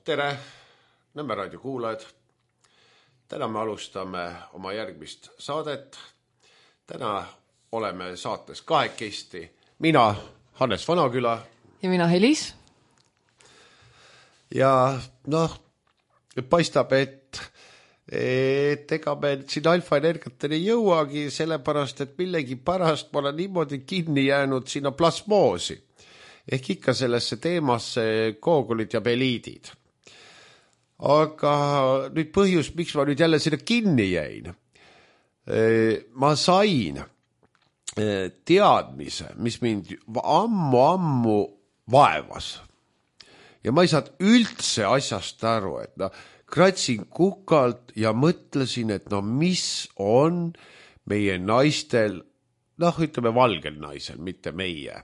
Tere, Nõmme raadio kuulajad. Täna me alustame oma järgmist saadet. Täna oleme saates kahekesti. Mina, Hannes Vanaküla. Ja mina, Helis. Ja paistab, et ega me siin Alfa Energiateni jõuagi, sellepärast, et millegi pärast ma olen niimoodi kinni jäänud sinna plasmoosi. Ehk ikka sellesse teemasse koogulid ja peliidid. Aga nüüd põhjus, miks ma nüüd jälle sinna kinni jäin. Ma sain teadmise, mis mind ammu vaevas. Ja ma ei saanud üldse asjast aru, et kratsin kukalt ja mõtlesin, et mis on meie naistel, ütleme valgel naisel, mitte meie.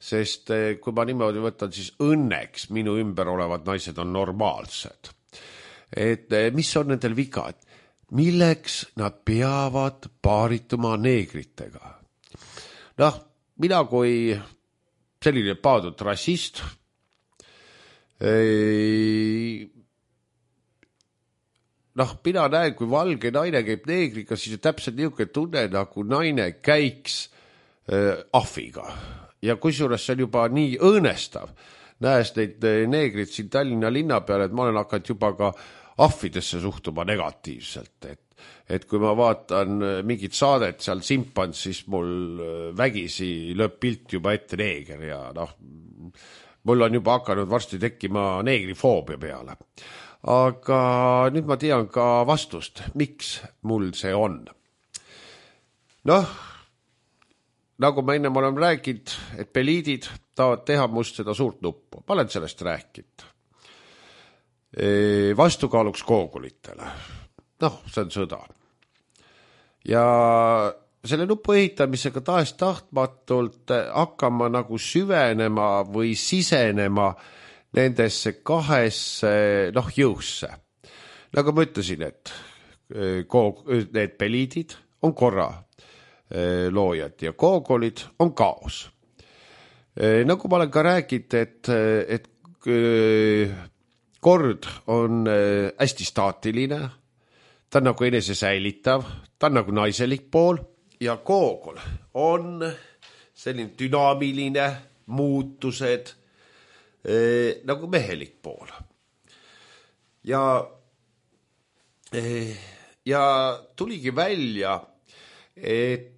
Sest kui ma niimoodi võtan, siis õnneks minu ümber olevad naised on normaalsed. Et mis on nendel viga? Milleks nad peavad paarituma neegritega? Mina kui selline paadud rassist, mina näen, kui valge naine käib neegriga, siis on täpselt niisugune tunne, nagu naine käiks ahviga. Ja kusjuures see on juba nii õõnestav, näes neid neegrid siin Tallinna linna peal, et ma olen hakanud juba ka ahvidesse suhtuma negatiivselt. Et kui ma vaatan mingit saadet seal Simpans, siis mul vägisi lööb pilt juba ette neeger ja mul on juba hakanud varsti tekkima neegrifoobia peale. Aga nüüd ma tean ka vastust, miks mul see on. Nagu ma enne olen rääkinud, et peliidid tahavad teha must seda suurt nuppu. Ma olen sellest rääkinud. Vastukaaluks koogulitele. See on sõda. Ja selle nupu ehitamisega tahtmatult hakkama nagu süvenema või sisenema nendesse kahesse jõusse. Nagu ma ütlesin, et need peliidid on korra loojad ja koogolid on kaos. Nagu ma olen ka rääkinud, et kord on hästi staatiline, ta on nagu enese säilitav, ta on nagu naiselik pool ja koogol on selline dünaamiline muutused nagu mehelik pool. Ja tuligi välja, et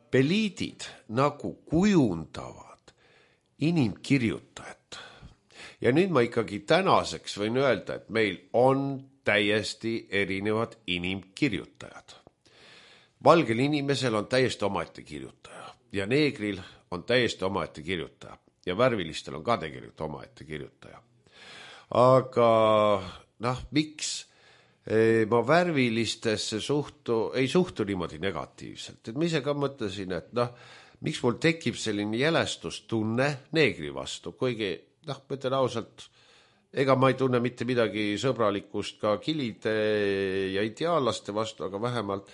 peliidid nagu kujundavad inimkirjutajat. Ja nüüd ma ikkagi tänaseks võin öelda, et meil on täiesti erinevad inimkirjutajad. Valgel inimesel on täiesti omaette kirjutaja ja neegril on täiesti omaette kirjutaja ja värvilistel on ka tegelikult omaette kirjutaja. Aga miks ma värvilistesse ei suhtu niimoodi negatiivselt. Et ma ise ka mõtlesin, et miks mul tekib selline jälestustunne neegri vastu, kuigi ma ütlen ausalt, ega ma ei tunne mitte midagi sõbralikust ka kilide ja ideaallaste vastu, aga vähemalt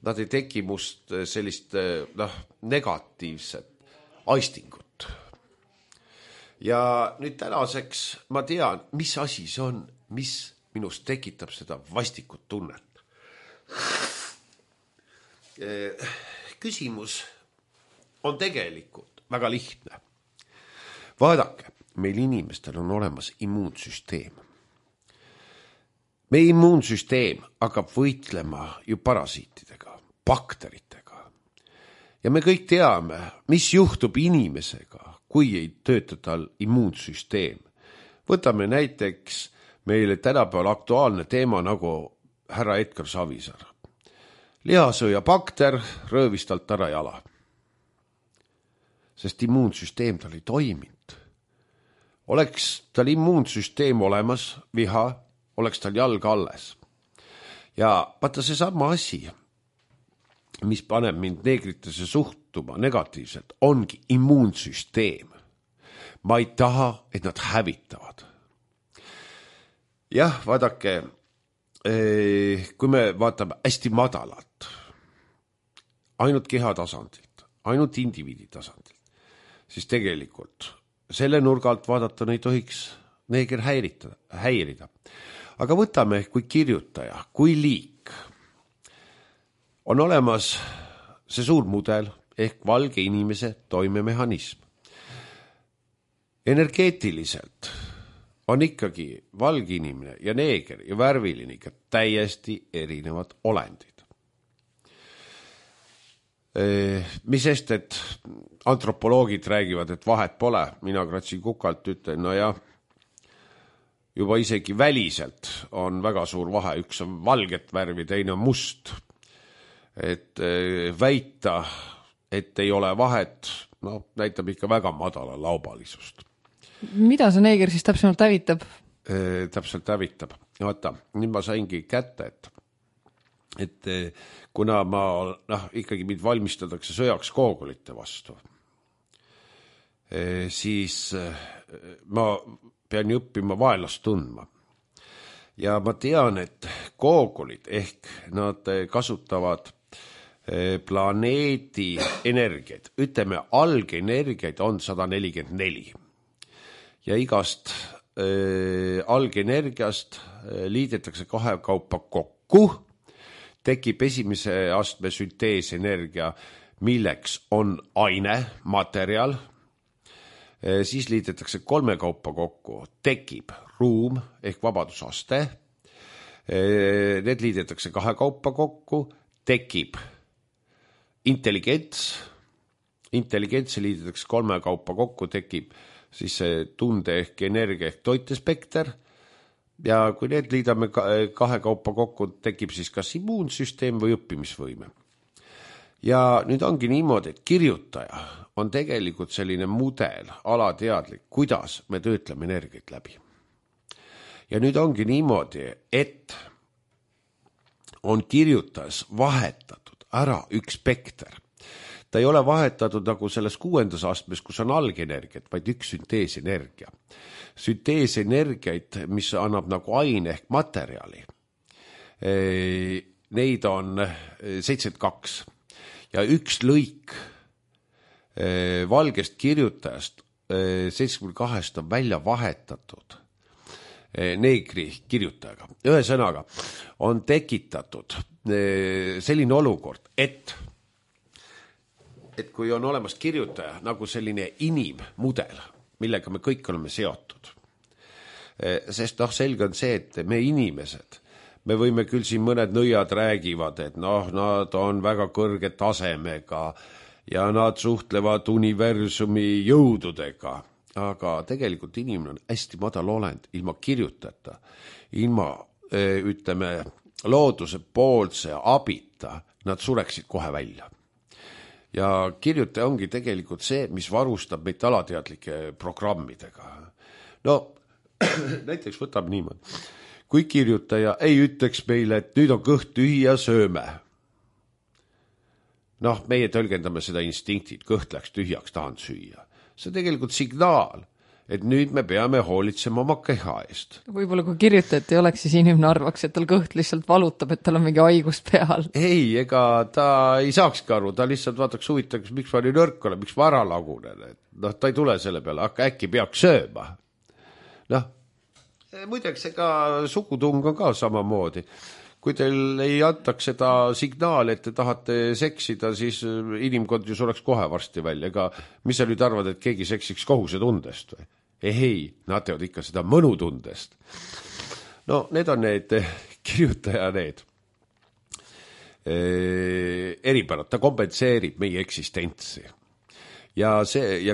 nad ei teki must sellist negatiivset aistingut. Ja nüüd tänaseks ma tean, mis asi see on, mis minust tekitab seda vastikut tunnet. Küsimus on tegelikult väga lihtne. Vaadake, meil inimestel on olemas immuunsüsteem. Meie immuunsüsteem hakkab võitlema ju parasiitidega, bakteritega. Ja me kõik teame, mis juhtub inimesega, kui ei tööta tal immuunsüsteem. Võtame näiteks meile tänapäeval aktuaalne teema nagu härra Edgar Savisaar. Lihasõja bakter röövis talt ära jala. Sest immuunsüsteem tal ei toiminud. Oleks tal immuunsüsteem olemas, viha, oleks tal jalg alles. Ja vaata see sama asi, mis paneb mind neegritesse suhtuma negatiivselt, ongi immuunsüsteem. Ma ei taha, et nad hävitavad. Jah, vaadake, kui me vaatame hästi madalalt, ainult keha tasandilt, ainult indiviidi tasandilt, siis tegelikult selle nurga alt vaadata ei tohiks neeger häirida. Aga võtame kui kirjutaja, kui liik. On olemas see suur mudel ehk valge inimese toimemehhanism. Energeetiliselt on ikkagi valge inimene ja neeger ja värviline ikka täiesti erinevad olendid. Mis sest, et antropoloogid räägivad, et vahet pole, mina kratsin kukalt, ütlen, no jah, juba isegi väliselt on väga suur vahe, üks on valget värvi, teine on must. Et väita, et ei ole vahet, no näitab ikka väga madala laubalisust. Mida see neeger siis täpsemalt hävitab? Täpselt hävitab. Vaata, nüüd ma saingi kätte, et kuna ma, ikkagi mind valmistatakse sõjaks koogolite vastu, siis ma pean ju õppima vaenlast tundma. Ja ma tean, et koogolid ehk nad kasutavad planeedi energiaid. Ütleme, algenergiaid on 144. Ja igast algenergiast liidetakse kahekaupa kokku, tekib esimese astme sünteesenergia, milleks on aine, materjal, siis liidetakse kolmekaupa kokku, tekib ruum ehk vabadusaste, need liidetakse kahekaupa kokku, tekib intelligents liidetakse kolmekaupa kokku, tekib siis see tunde ehk energia ehk toitespekter, ja kui need liidame kahekaupa kokku, tekib siis kas immuunsüsteem või õppimisvõime. Ja nüüd ongi niimoodi, et kirjutaja on tegelikult selline mudel, alateadlik, kuidas me töötleme energiat läbi. Ja nüüd ongi niimoodi, et on kirjutajas vahetatud ära üks spekter. Ta ei ole vahetatud nagu selles 6. astmes, kus on algenergiat, vaid üks sünteesenergia. Sünteesenergiaid, mis annab nagu aine ehk materjali, neid on 72. Ja üks lõik valgest kirjutajast 72 on välja vahetatud neegri kirjutajaga. Ühesõnaga on tekitatud selline olukord, et kui on olemas kirjutaja nagu selline inimmudel, millega me kõik oleme seotud. Sest selge on see, et me inimesed, me võime küll siin mõned nõiad räägivad, et nad on väga kõrge tasemega ja nad suhtlevad universumi jõududega, aga tegelikult inimene on hästi madal olend, ilma kirjutajata, ilma, ütleme, looduse poolse abita, nad sureksid kohe välja. Ja kirjutaja ongi tegelikult see, mis varustab meid alateadlike programmidega. No, näiteks võtab niimoodi. Kui kirjutaja ei ütleks meile, et nüüd on kõht tühi ja sööme. Meie tõlgendame seda instinktid, kõht läks tühjaks, tahan süüa. See on tegelikult signaal, et nüüd me peame hoolitsema oma keha eest. Võib-olla kui kirjutajat ei oleks, siis inimene arvaks, et tal kõht lihtsalt valutab, et tal on mingi haigus peal. Ei, ega ta ei saakski aru, ta lihtsalt vaataks huvitaks, miks ma nii nõrk olen, miks ma ära lagunen. Ta ei tule selle peale, aga äkki peaks sööma. Muideks, ega sugutung on ka samamoodi. Kui teil ei antaks seda signaali, et te tahate seksida, siis inimkond ju sureks kohe varsti välja. Ega mis sa nüüd arvad, et keegi seksiks kohusetundest või? Ei, nad teevad ikka seda mõnutundest. Need on need kirjutaja need eripärad, ta kompenseerib meie eksistentsi. Ja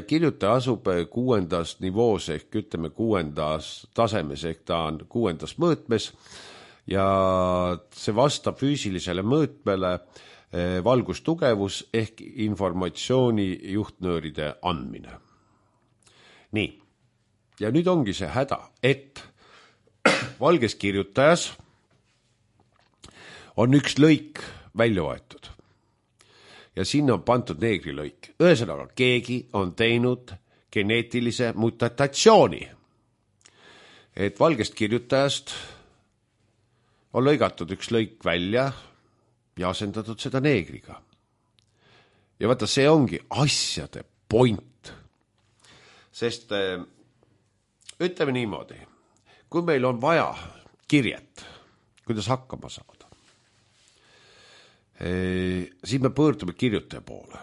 kirjutaja asub 6. nivoos ehk ütleme 6. tasemes ehk ta on 6. mõõtmes ja see vastab füüsilisele mõõtmele valgustugevus ehk informatsiooni juhtnööride andmine. Nii, ja nüüd ongi see häda, et valges kirjutajas on üks lõik välja võetud ja sinna on pandud neegrilõik. Ühesõnaga, keegi on teinud geneetilise mutatsiooni, et valgest kirjutajast on lõigatud üks lõik välja ja asendatud seda neegriga. Ja vaata, see ongi asjade point. Sest ütleme niimoodi, kui meil on vaja kirjet, kuidas hakkama saada, siis me pöördume kirjutaja poole.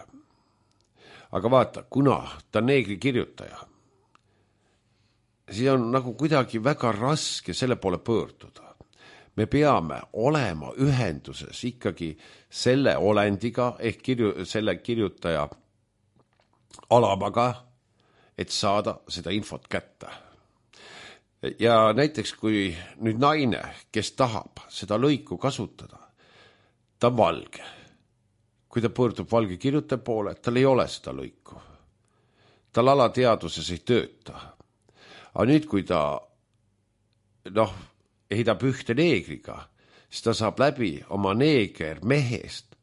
Aga vaata, kuna ta on neegri kirjutaja, siis on nagu kuidagi väga raske selle poole pöörduda. Me peame olema ühenduses ikkagi selle olendiga ehk selle kirjutaja alamaga, et saada seda infot kätte. Ja näiteks kui nüüd naine, kes tahab seda lõiku kasutada, ta on valge. Kui ta pöördub valge kirjutaja poole, tal ei ole seda lõiku. Tal alateaduses ei tööta. Aga nüüd, kui ta heidab ühte neegriga, siis ta saab läbi oma neeger mehest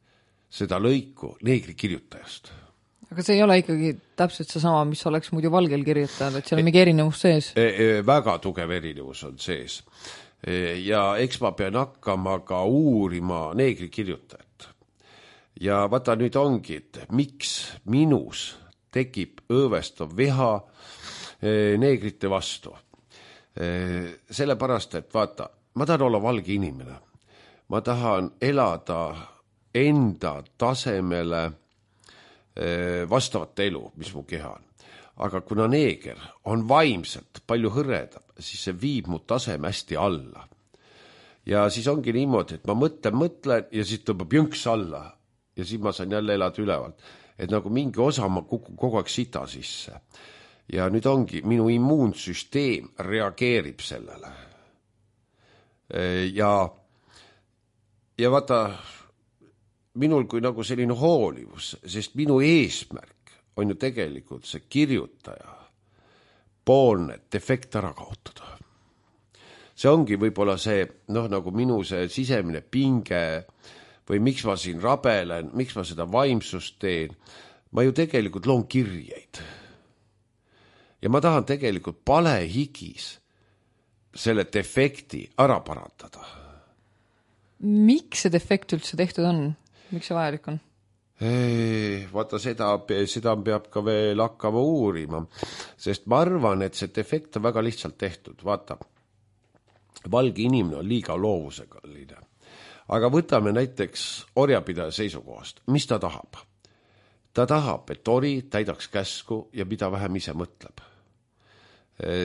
seda lõiku neegri kirjutajast. Aga see ei ole ikkagi täpselt seesama, mis oleks muidu valgel kirjutajal, et seal on mingi erinevus sees? Väga tugev erinevus on sees. Ja eks ma pean hakkama ka uurima neegri kirjutajat. Ja vaata nüüd ongi, et miks minus tekib õõvestav viha neegrite vastu. Sellepärast, et vaata, ma tahan olla valge inimene. Ma tahan elada enda tasemele vastavat elu, mis mu keha on. Aga kuna neeger on vaimselt palju hõredam, siis see viib mu taseme hästi alla. Ja siis ongi niimoodi, et ma mõtlen ja siis tõmbab jõnks alla ja siis ma saan jälle elada ülevalt. Et nagu mingi osa ma kukun kogu aeg sita sisse. Ja nüüd ongi, minu immuunsüsteem reageerib sellele. Ja vaata, minul kui nagu selline hoolivus, sest minu eesmärk on ju tegelikult see kirjutaja poolne defekt ära kaotada. See ongi võib-olla see, nagu minu see sisemine pinge või miks ma siin rabelen, miks ma seda vaimsust teen. Ma ju tegelikult loon kirjeid. Ja ma tahan tegelikult palehigis selle defekti ära parandada. Miks see defekt üldse tehtud on? Miks see vajalik on? Vaata, seda peab ka veel hakkama uurima, sest ma arvan, et see defekt on väga lihtsalt tehtud. Vaata, valge inimene on liiga loovusekaline. Aga võtame näiteks orjapidaja seisukohast. Mis ta tahab? Ta tahab, et ori täidaks käsku ja mida vähem ise mõtleb.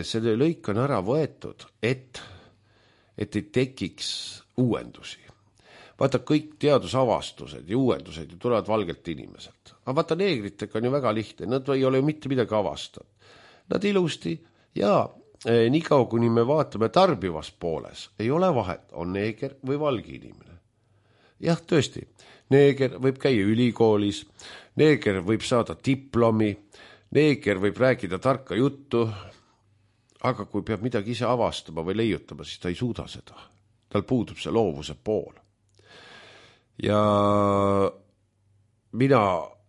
Selle lõik on ära võetud, et ei tekiks uuendusi. Vaata, kõik teadusavastused ja uuendused tulevad valgelt inimeselt. Aga vaata, neegritega on ju väga lihtne, nad ei ole ju mitte midagi avastanud. Nad ilusti ja nii kaua, kuni me vaatame tarbivas pooles, ei ole vahet, on neeger või valge inimene. Jah, tõesti, neeger võib käia ülikoolis, neeger võib saada diplomi, neeger võib rääkida tarka juttu, aga kui peab midagi ise avastama või leiutama, siis ta ei suuda seda. Tal puudub see loovuse pool. Ja mina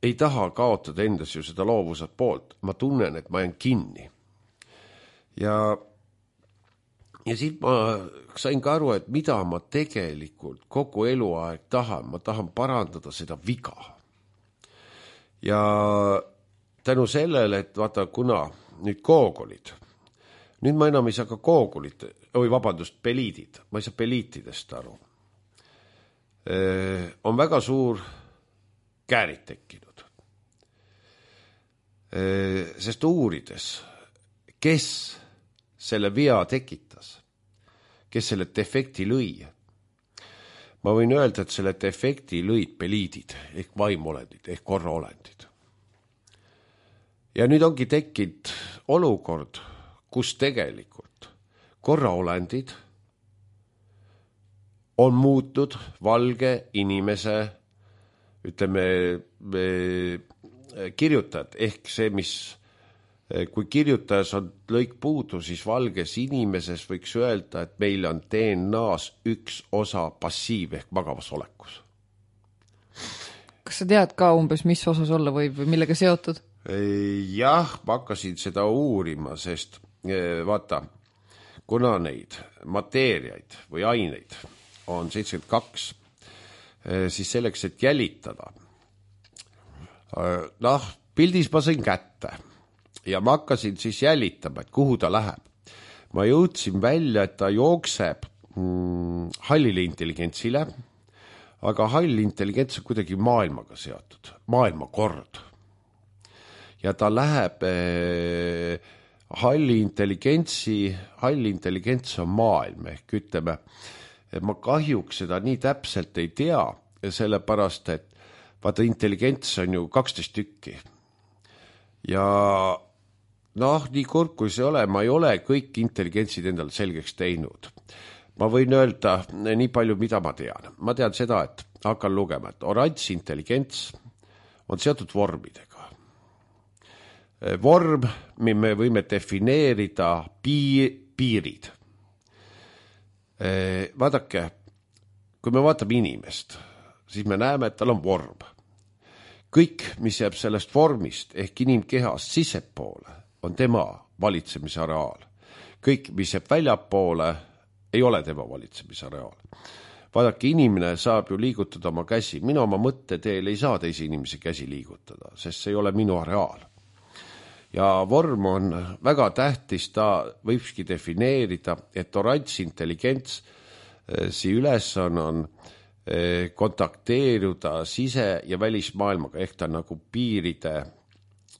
ei taha kaotada endas ju seda loovuse poolt. Ma tunnen, et ma jään kinni. Ja siis ma sain ka aru, et mida ma tegelikult kogu eluaeg tahan. Ma tahan parandada seda viga. Ja tänu sellele, et vaata, kuna nüüd koogolid, nüüd ma enam ei saa ka koogolit, peliidid, ma ei saa peliitidest aru. On väga suur käärid tekkinud. Sest uurides, kes selle vea tekitas, kes selle defekti lõi, ma võin öelda, et selle defekti lõid peliidid ehk vaimolendid ehk korraolendid. Ja nüüd ongi tekkinud olukord, kus tegelikult korraolendid on muutnud valge inimese, ütleme, kirjutajad, ehk see, mis, kui kirjutajas on lõik puudu, siis valges inimeses võiks öelda, et meil on DNA-s üks osa passiiv ehk magavas olekus. Kas sa tead ka umbes, mis osas olla võib või millega seotud? Jah, ma hakkasin seda uurima, sest vaata, kuna neid mateeriaid või aineid on 72, siis selleks, et jälitada. Pildis ma sain kätte ja ma hakkasin siis jälitama, et kuhu ta läheb. ma jõudsin välja, et ta jookseb hallile intelligentsile, aga hall intelligents on kuidagi maailmaga seotud, maailmakord. Ja ta läheb halli intelligents on maailm, ehk ütleme, ma kahjuks seda nii täpselt ei tea, sellepärast, et vaata intelligents on ju 12 tükki. Ja nii kurb kui see ole, ma ei ole kõik intelligentsid endale selgeks teinud. Ma võin öelda nii palju, mida ma tean. Ma tean seda, et hakkan lugema, et oranž intelligents on seotud vormidega. Vorm, me võime defineerida piirid. Vaadake, kui me vaatame inimest, siis me näeme, et tal on vorm. Kõik, mis jääb sellest vormist ehk inimkehast sissepoole, on tema valitsemisareaal. Kõik, mis jääb väljapoole, ei ole tema valitsemisareaal. Vaadake, inimene saab ju liigutada oma käsi. Mina oma mõtteteel ei saa teisi inimesi käsi liigutada, sest see ei ole minu areaal. Ja vorm on väga tähtis, ta võibski defineerida, et oranž intelligents ülesanne on kontakteeruda sise- ja välismaailmaga, ehk ta nagu piiride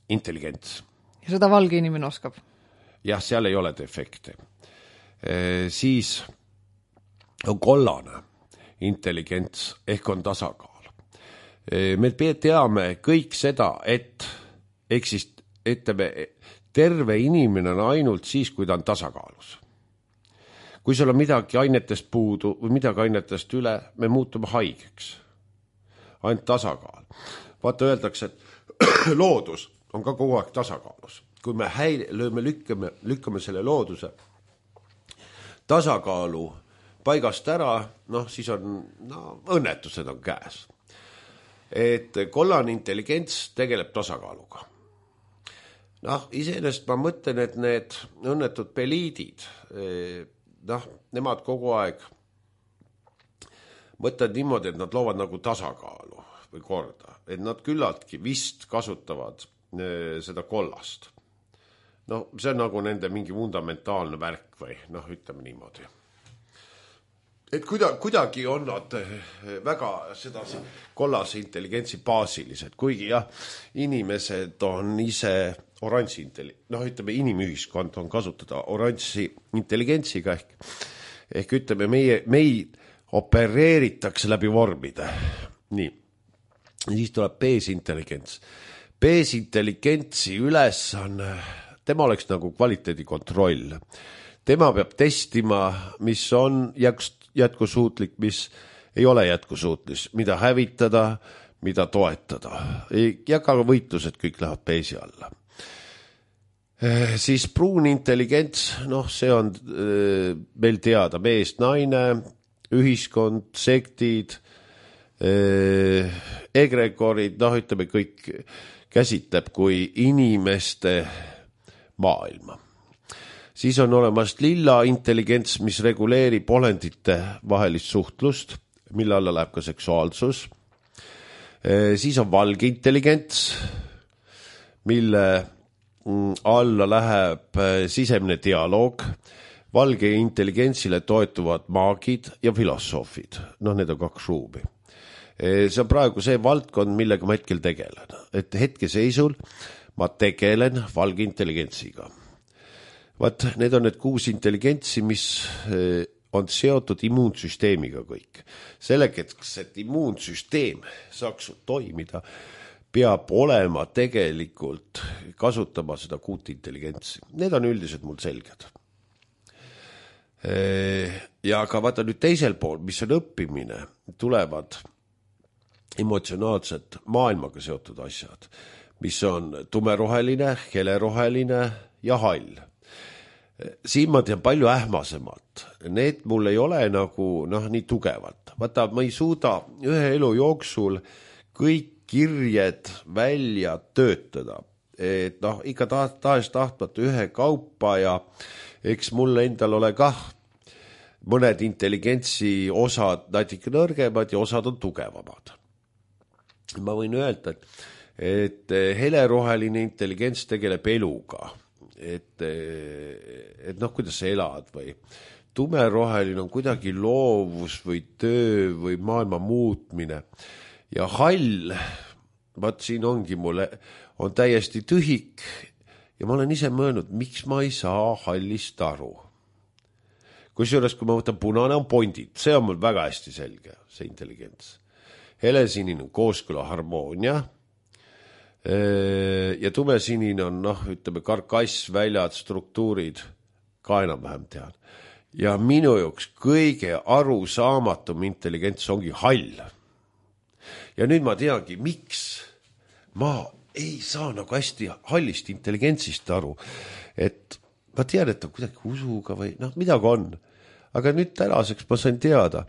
intelligents. Ja seda valge inimene oskab? Jah, seal ei ole defekte. Siis on kollane intelligents, ehk on tasakaal. Me teame kõik seda, et terve inimene on ainult siis, kui ta on tasakaalus. Kui sul on midagi ainetest puudu või midagi ainetest üle, me muutume haigeks. Ainult tasakaal. Vaata, öeldakse, et loodus on ka kogu aeg tasakaalus. Kui me lükkame selle looduse tasakaalu paigast ära, siis on õnnetused on käes. Et kollane intelligents tegeleb tasakaaluga. Iseenesest ma mõtlen, et need õnnetud peliidid, nemad kogu aeg mõtlevad niimoodi, et nad loovad nagu tasakaalu või korda, et nad küllaltki vist kasutavad seda kollast. See on nagu nende mingi fundamentaalne värk või ütleme niimoodi. Et kuidagi on nad väga seda kollase intelligentsi baasilised, kuigi inimesed on ise oranži ütleme, inimühiskond on kasutada oranži intelligentsiga ehk ütleme, meid opereeritakse läbi vormide. Nii. Siis tuleb B-intelligents. B-intelligentsi ülesanne, tema oleks nagu kvaliteedikontroll. Tema peab testima, mis on jätkusuutlik, mis ei ole jätkusuutlis, mida hävitada, mida toetada. Ja ka võitlused kõik lähevad B-si alla. Siis pruun intelligents, see on meil teada, meest, naine, ühiskond, sektid, egregorid, ütleme kõik käsitleb kui inimeste maailma. Siis on olemas lilla intelligents, mis reguleerib olendite vahelist suhtlust, mille alla läheb ka seksuaalsus. Siis on valge intelligents, mille alla läheb sisemine dialoog. Valge intelligentsile toetuvad maagid ja filosoofid. Need on 2 ruumi. See on praegu see valdkond, millega ma hetkel tegelen. Et hetkeseisul ma tegelen valge intelligentsiga. Need on need 6 intelligentsi, mis on seotud immuunsüsteemiga kõik. Selleks, et immuunsüsteem saaks toimida, peab olema tegelikult kasutama seda 6 intelligentsi. Need on üldiselt mul selged. Ja ka vaata nüüd teisel pool, mis on õppimine, tulevad emotsionaalsed maailmaga seotud asjad, mis on tumeroheline, heleroheline ja hall. Siin ma tean palju ähmasemalt. Need mul ei ole nagu nii tugevalt. Vaata, ma ei suuda ühe elu jooksul kõik kirjed välja töötada. Et ikka tahes tahtmata ühe kaupa ja eks mul endal ole kah mõned intelligentsi osad natuke nõrgemad ja osad on tugevamad. Ma võin öelda, et heleroheline intelligents tegeleb eluga. et noh, kuidas sa elad või tumeroheline on kuidagi loovus või töö või maailma muutmine ja hall, vaat siin ongi mulle, on täiesti tühik ja ma olen ise mõelnud, miks ma ei saa hallist aru. Kusjuures, kui ma võtan punane on pondid, see on mul väga hästi selge, see intelligents. Helesinine on kooskõla harmoonia ja tumesinine on, noh, ütleme, karkass, väljad, struktuurid, ka enam-vähem tean. Ja minu jaoks kõige arusaamatum intelligents ongi hall. Ja nüüd ma teangi, miks ma ei saa nagu hästi hallist intelligentsist aru, et ma tean, et on kuidagi usuga või noh, midagi on. Aga nüüd tänaseks ma sain teada,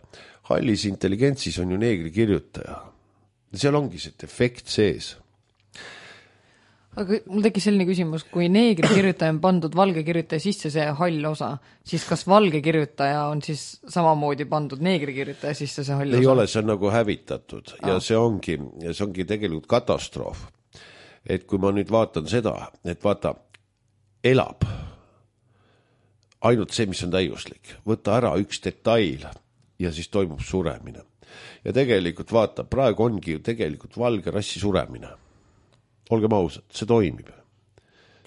hallis intelligentsis on ju neegri kirjutaja. Seal ongi see efekt sees. Aga mul tekkis selline küsimus, kui neegri kirjutaja on pandud valge kirjutaja sisse see hall osa, siis kas valge kirjutaja on siis samamoodi pandud neegri kirjutaja sisse see hall osa? Ei ole, see on nagu hävitatud ja see ongi tegelikult katastroof. Et kui ma nüüd vaatan seda, et vaata, elab ainult see, mis on täiuslik. Võtta ära üks detail ja siis toimub suremine. Ja tegelikult vaata, praegu ongi ju tegelikult valge rassi suremine. Olgem ausad, see toimib.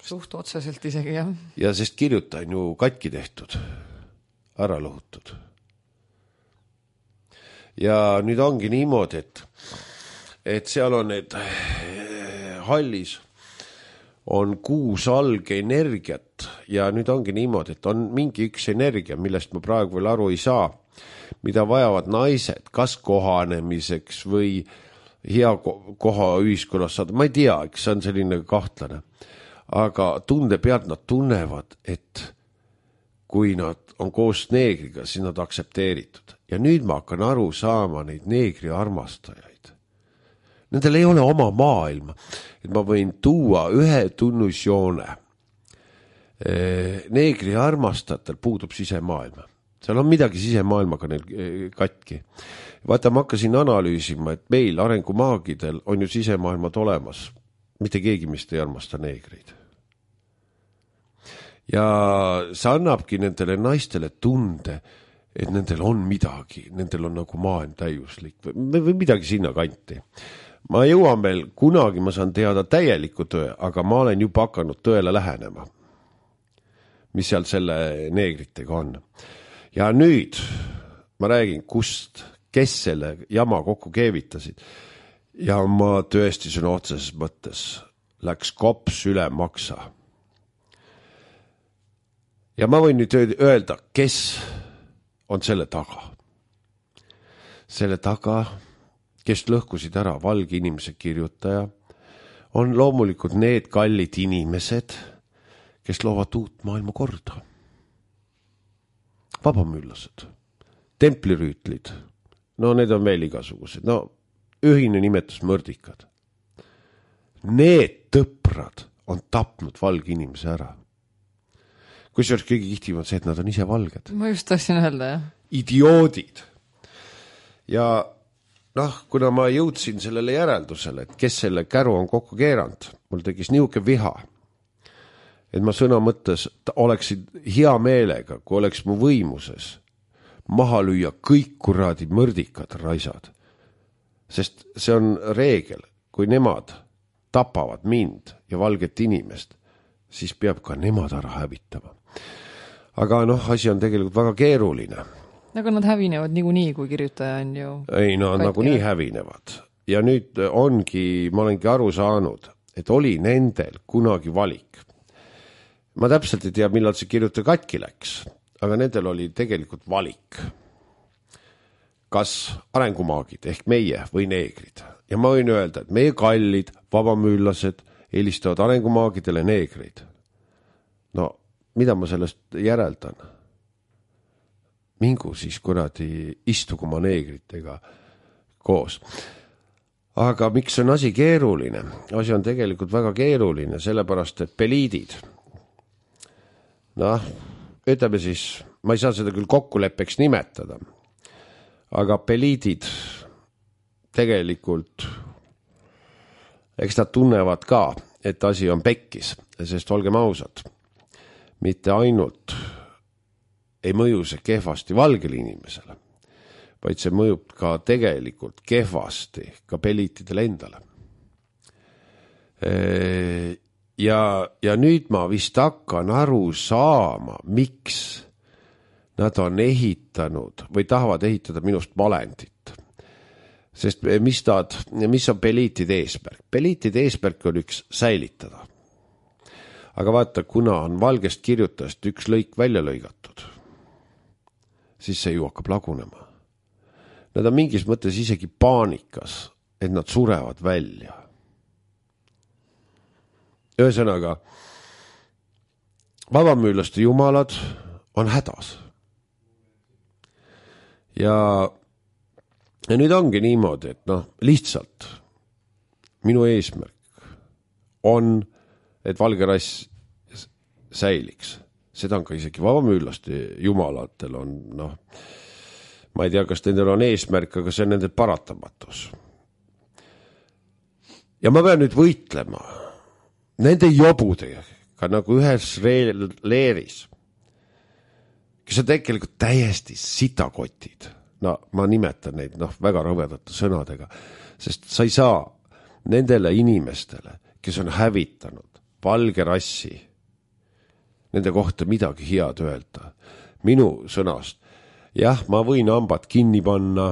Suht otseselt isegi, jah. Ja sest kirjutaja on ju katki tehtud, ära lõhutud. Ja nüüd ongi niimoodi, et seal on need hallis on 6 alge energiat ja nüüd ongi niimoodi, et on mingi üks energia, millest ma praegu veel aru ei saa, mida vajavad naised, kas kohanemiseks või hea koha ühiskonnas saada, ma ei tea, eks see on selline kahtlane. Aga tunde pealt nad tunnevad, et kui nad on koos neegriga, siis nad aksepteeritud. Ja nüüd ma hakkan aru saama neid neegri armastajaid. Nendel ei ole oma maailma, et ma võin tuua ühe tunnusjoone. Neegri armastajatel puudub sisemaailma. Seal on midagi sisemaailmaga neil katki. Vaata, ma hakkasin analüüsima, et meil arengumaagidel on ju sisemaailmad olemas. Mitte keegi meist ei armasta neegreid. Ja see annabki nendele naistele tunde, et nendel on midagi, nendel on nagu maailm täiuslik või midagi sinna kanti. Ma jõuan veel, kunagi ma saan teada täieliku tõe, aga ma olen juba hakanud tõele lähenema, mis seal selle neegritega on. Ja nüüd ma räägin, kes selle jama kokku keevitasid. Ja ma tõesti sõna otseses mõttes läks kops üle maksa. Ja ma võin nüüd öelda, kes on selle taga. Selle taga, kes lõhkusid ära valge inimese kirjutaja, on loomulikult need kallid inimesed, kes loovad uut maailma korda. Vabamüllased, templirüütlid, no need on veel igasugused, no ühine nimetus mõrdikad. Need tõprad on tapnud valge inimese ära. Kusjuures kõige kihtim on see, et nad on ise valged. Ma just tahtsin öelda, jah. Idioodid. Ja noh, kuna ma jõudsin sellele järeldusele, et kes selle käru on kokku keeranud, mul tegis niuke viha, et ma sõna mõttes oleksin hea meelega, kui oleks mu võimuses maha lüüa kõik kuradi mõrdikad raisad. Sest see on reegel, kui nemad tapavad mind ja valget inimest, siis peab ka nemad ära hävitama. Aga noh, asi on tegelikult väga keeruline. Aga nad hävinevad niikuinii, kui kirjutaja on ju... Ei, no nagunii hävinevad. Ja nüüd ongi, ma olengi aru saanud, et oli nendel kunagi valik. Ma täpselt ei tea, millal see kirjutaja katki läks, aga nendel oli tegelikult valik. Kas arengumaagid ehk meie või neegrid. Ja ma võin öelda, et meie kallid vabamüllased eelistavad arengumaagidele neegrid. No, mida ma sellest järeldan? Mingu siis kuradi istugu ma neegritega koos. Aga miks on asi keeruline? Asi on tegelikult väga keeruline, sellepärast, et peliidid. Noh, ütleme siis, ma ei saa seda küll kokkuleppeks nimetada, aga peliidid tegelikult, eks nad tunnevad ka, et asi on pekkis, sest olgem ausad, mitte ainult ei mõju see kehvasti valgele inimesele, vaid see mõjub ka tegelikult kehvasti ka peliitidele endale. Ja nüüd ma vist hakkan aru saama, miks nad on ehitanud või tahavad ehitada minust malendit. Sest mis on peliitide eesmärk? Peliitide eesmärk on üks säilitada. Aga vaata, kuna on valgest kirjutajast üks lõik välja lõigatud, siis see ju hakkab lagunema. Nad on mingis mõttes isegi paanikas, et nad surevad välja. Ühesõnaga, vabamüürlaste jumalad on hädas. Ja nüüd ongi niimoodi, et lihtsalt minu eesmärk on, et valge rass säiliks. Seda on ka isegi vabamüürlaste jumalatel on, ma ei tea, kas nendel on eesmärk, aga see on nende paratamatus. Ja ma pean nüüd võitlema nende jobudega nagu ühes leeris, kes on tegelikult täiesti sitakotid. Ma nimetan neid väga rõvedate sõnadega, sest sa ei saa nendele inimestele, kes on hävitanud valge rassi, nende kohta midagi head öelda. Minu sõnast, jah, ma võin hambad kinni panna,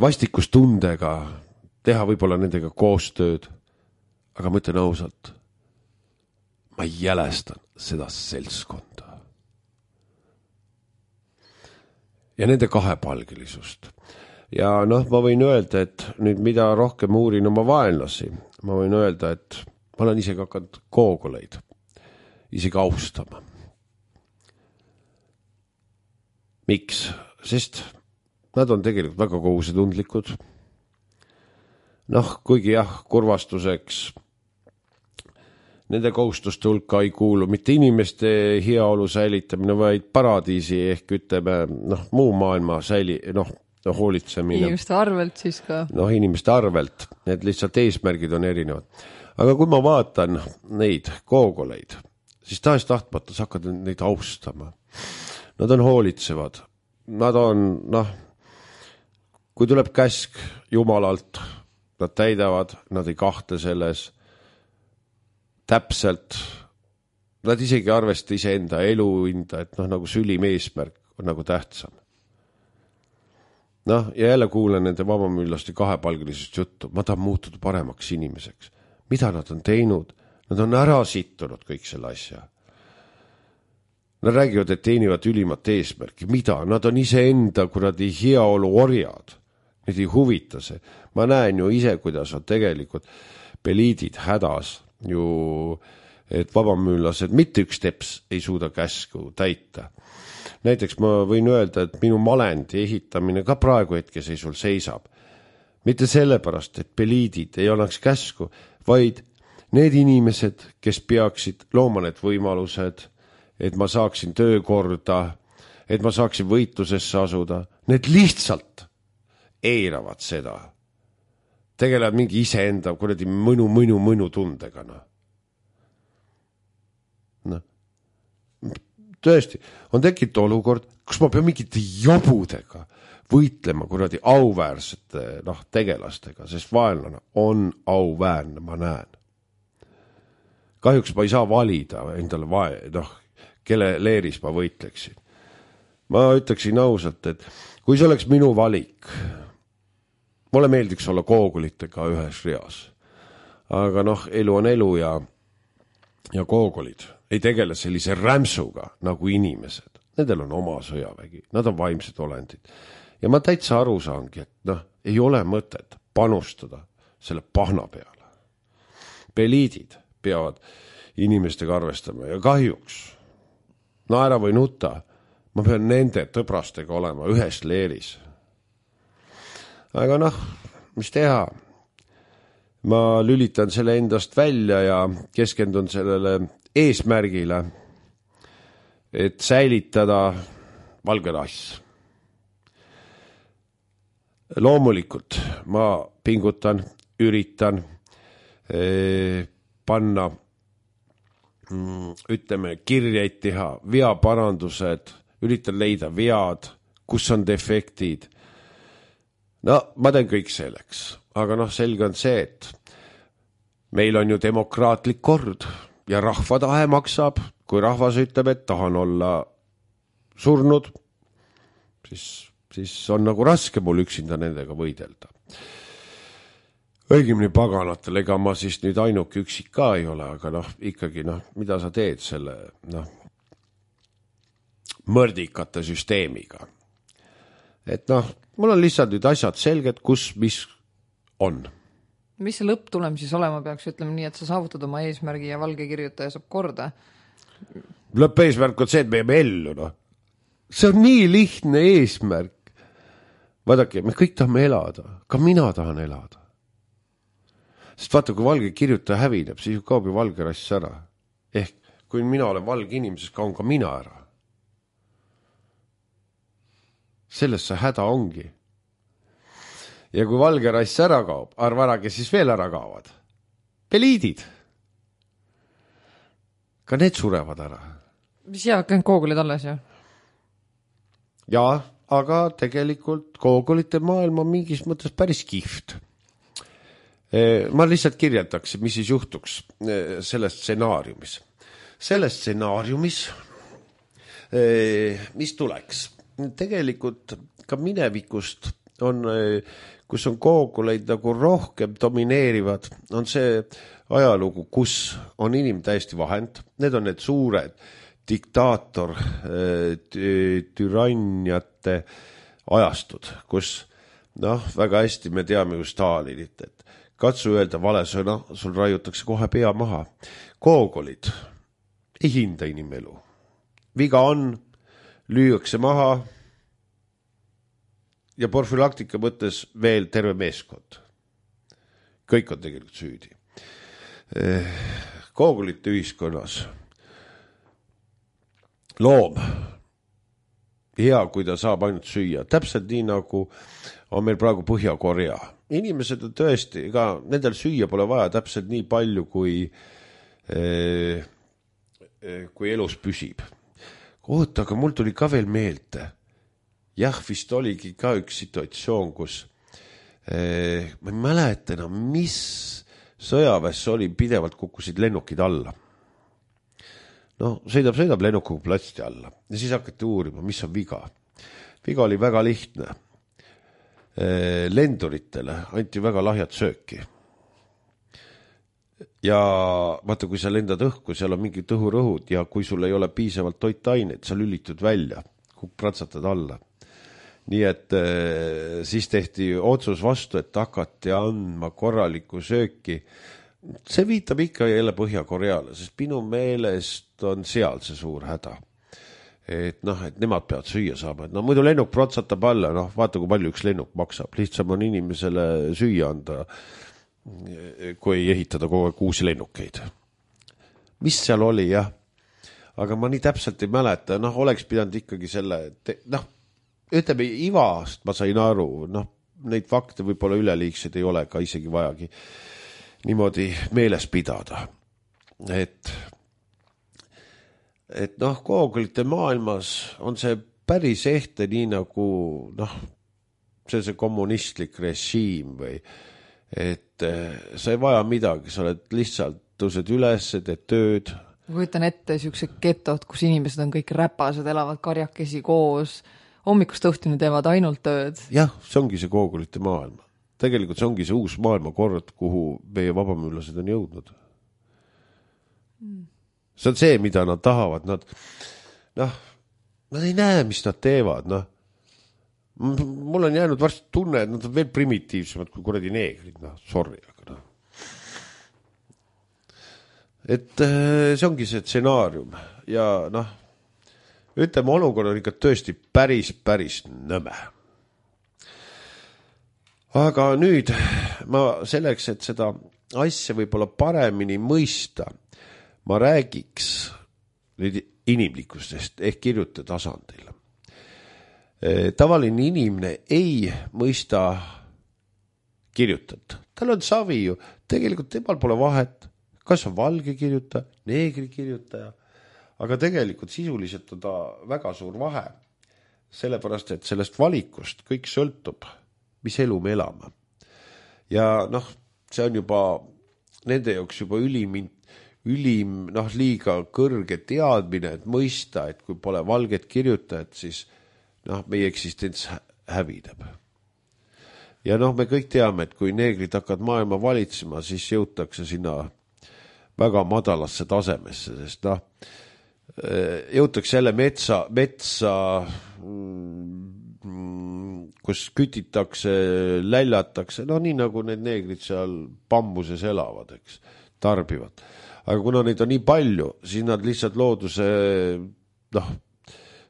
vastikustundega, teha võib-olla nendega koostööd, aga ma ütlen ausalt, ma jälestan seda seltskonda. Ja nende kahepalgelisust. Ja ma võin öelda, et nüüd mida rohkem uurin oma vaenlasi, ma võin öelda, et ma olen isegi hakanud koogoleid isegi austama. Miks? Sest nad on tegelikult väga kohusetundlikud. Kuigi jah, kurvastuseks nende kohustuste hulka ei kuulu mitte inimeste heaolu säilitamine, vaid paradiisi ehk ütleme, muu maailma hoolitsemine. Inimeste arvelt siis ka. Inimeste arvelt, need lihtsalt eesmärgid on erinevad. Aga kui ma vaatan neid koogoleid, siis tahes tahtmatus hakkad neid austama. Nad on hoolitsevad. Nad on, kui tuleb käsk Jumalalt, nad täidavad, nad ei kahtle selles täpselt, nad isegi arvesta iseenda eluinda, et nagu sülim eesmärk on nagu tähtsam. Ja jälle kuulen nende vabamüürlaste kahepalgelisest juttu, ma tahan muutuda paremaks inimeseks. Mida nad on teinud? Nad on ära sittunud kõik selle asja. Nad räägivad, et teenivad ülimat eesmärki. Mida? Nad on iseenda kuradi heaolu orjad. Need ei huvita see. Ma näen ju ise, kuidas on tegelikult peliidid hädas. Et vabamüürlased mitte üks teps ei suuda käsku täita. Näiteks ma võin öelda, et minu malendi ehitamine ka praegu hetkeseisul seisab. Mitte sellepärast, et peliidid ei annaks käsku, vaid need inimesed, kes peaksid looma need võimalused, et ma saaksin töökorda, et ma saaksin võitlusesse asuda, need lihtsalt eiravad seda. Tegelevad mingi iseenda kuradi mõnu tundega. Tõesti, on tekkinud olukord, kus ma pean mingite jobudega võitlema kuradi auväärsete tegelastega, sest vaenlane on auväärne, ma näen. Kahjuks ma ei saa valida endale kelle leeris ma võitleksin. Ma ütleksin ausalt, et kui see oleks minu valik, mulle meeldiks olla koogolitega ühes reas. Aga elu on elu ja koogolid ei tegele sellise rämsuga nagu inimesed. Nendel on oma sõjavägi, nad on vaimsed olendid. Ja ma täitsa aru saangi, et ei ole mõtet panustada selle pahna peale. Peliidid peavad inimestega arvestama ja kahjuks, naera või nuta, ma pean nende tõbrastega olema ühes leeris. Aga mis teha? Ma lülitan selle endast välja ja keskendun sellele eesmärgile, et säilitada valge rass. Loomulikult ma pingutan, üritan panna ütleme, kirjeid teha, veaparandused, üritan leida vead, kus on defektid. No, ma teen kõik selleks, aga selge on see, et meil on ju demokraatlik kord ja rahva tahe maksab, kui rahvas ütleb, et tahan olla surnud, siis on nagu raske mul üksinda nendega võidelda. Õigemini paganatel, ega ma siis nüüd ainuke üksik ka ei ole, aga ikkagi mida sa teed selle mõrdikate süsteemiga. Et mul on lihtsalt nüüd asjad selged, kus, mis on. Mis see lõpptulem siis olema peaks, ütleme nii, et sa saavutad oma eesmärgi ja valge kirjutaja saab korda? Lõppeesmärk on see, et me jääme ellu, See on nii lihtne eesmärk. Vaadake, me kõik tahame elada, ka mina tahan elada. Sest vaata, kui valge kirjutaja hävineb, siis ju kaob ju valge rass ära. Ehk kui mina olen valge inimene, siis kaon ka mina ära. Selles see häda ongi. Ja kui valge rass ära kaob, arva ära, kes siis veel ära kaovad. Peliidid. Ka need surevad ära. Mis jäävad kõik koogulid alles ju? Jaa, aga tegelikult koogulite maailm on mingis mõttes päris kihvt. Ma lihtsalt kirjeldaks, mis siis juhtuks selles stsenaariumis. Selles stsenaariumis, mis tuleks? Tegelikult ka minevikust on, kus on kooguleid nagu rohkem domineerivad, on see ajalugu, kus on inimene täiesti vahend. Need on need suured diktaator, türanniate ajastud, kus väga hästi me teame ju Stalinit, et katsu öelda vale sõna, sul raiutakse kohe pea maha. Koogolid ei hinda inimelu. Viga on, lüüakse maha ja profülaktika mõttes veel terve meeskond. Kõik on tegelikult süüdi. Koogolite ühiskonnas loom hea, kui ta saab ainult süüa. Täpselt nii nagu on meil praegu Põhja-Korea. Inimesed on tõesti, ega nendel süüa pole vaja täpselt nii palju, kui elus püsib. Oota, aga mul tuli ka veel meelde. Jah, vist oligi ka üks situatsioon, kus ma ei mäleta enam, mis sõjaväes oli, pidevalt kukkusid lennukid alla. Sõidab lennukuga platsti alla ja siis hakati uurima, mis on viga. Viga oli väga lihtne. Lenduritele anti väga lahjat sööki. Ja vaata, kui sa lendad õhku, seal on mingid õhurõhud ja kui sul ei ole piisavalt toitaineid, sa lülitud välja, pratsatad alla. Nii et siis tehti otsus vastu, et hakati andma korralikku sööki. See viitab ikka jälle Põhja-Koreale, sest minu meelest on seal see suur häda. Et nemad peavad süüa saama. Et muidu lennuk protsatab alla, vaata, kui palju üks lennuk maksab. Lihtsam on inimesele süüa anda, kui ehitada kogu aeg uusi lennukeid. Mis seal oli, jah? Aga ma nii täpselt ei mäleta. Oleks pidanud ikkagi selle, ütleme, Ivast ma sain aru, neid fakte võib-olla üleliigsed ei ole ka isegi vajagi niimoodi meeles pidada. Et koogulite maailmas on see päris ehte nii nagu see kommunistlik režiim või et sa ei vaja midagi, sa oled lihtsalt tõused üles, teed tööd. Ma kujutan ette siuksed getod, kus inimesed on kõik räpased, elavad karjakesi koos, hommikust õhtuni teevad ainult tööd. Jah, see ongi see koogulite maailm. Tegelikult see ongi see uus maailmakord, kuhu meie vabamüürlased on jõudnud. See on see, mida nad tahavad. Nad ei näe, mis nad teevad. Mul on jäänud varsti tunne, et nad on veel primitiivsemad kui kuradi neegrid. Sorry, aga et see ongi see stsenaarium. Ja ütleme, olukord on ikka tõesti päris nõme. Aga nüüd ma selleks, et seda asja võib-olla paremini mõista, ma räägiks nüüd inimlikustest ehk kirjuta tasandil. Tavaline inimene ei mõista kirjutat. Tal on savi ju. Tegelikult temal pole vahet, kas on valge kirjutaja, neegri kirjutaja, aga tegelikult sisuliselt on ta väga suur vahe, sellepärast, et sellest valikust kõik sõltub, mis elu me elame. Ja see on juba nende jaoks juba ülim liiga kõrge teadmine, et mõista, et kui pole valget kirjutajat, siis meie eksistents hävineb. Ja me kõik teame, et kui neegrid hakkavad maailma valitsema, siis jõutakse sinna väga madalasse tasemesse, sest jõutakse jälle metsa, kus kütitakse, läljatakse, nii nagu need neegrid seal bambuses elavad, eks, tarbivad. Aga kuna neid on nii palju, siis nad lihtsalt looduse,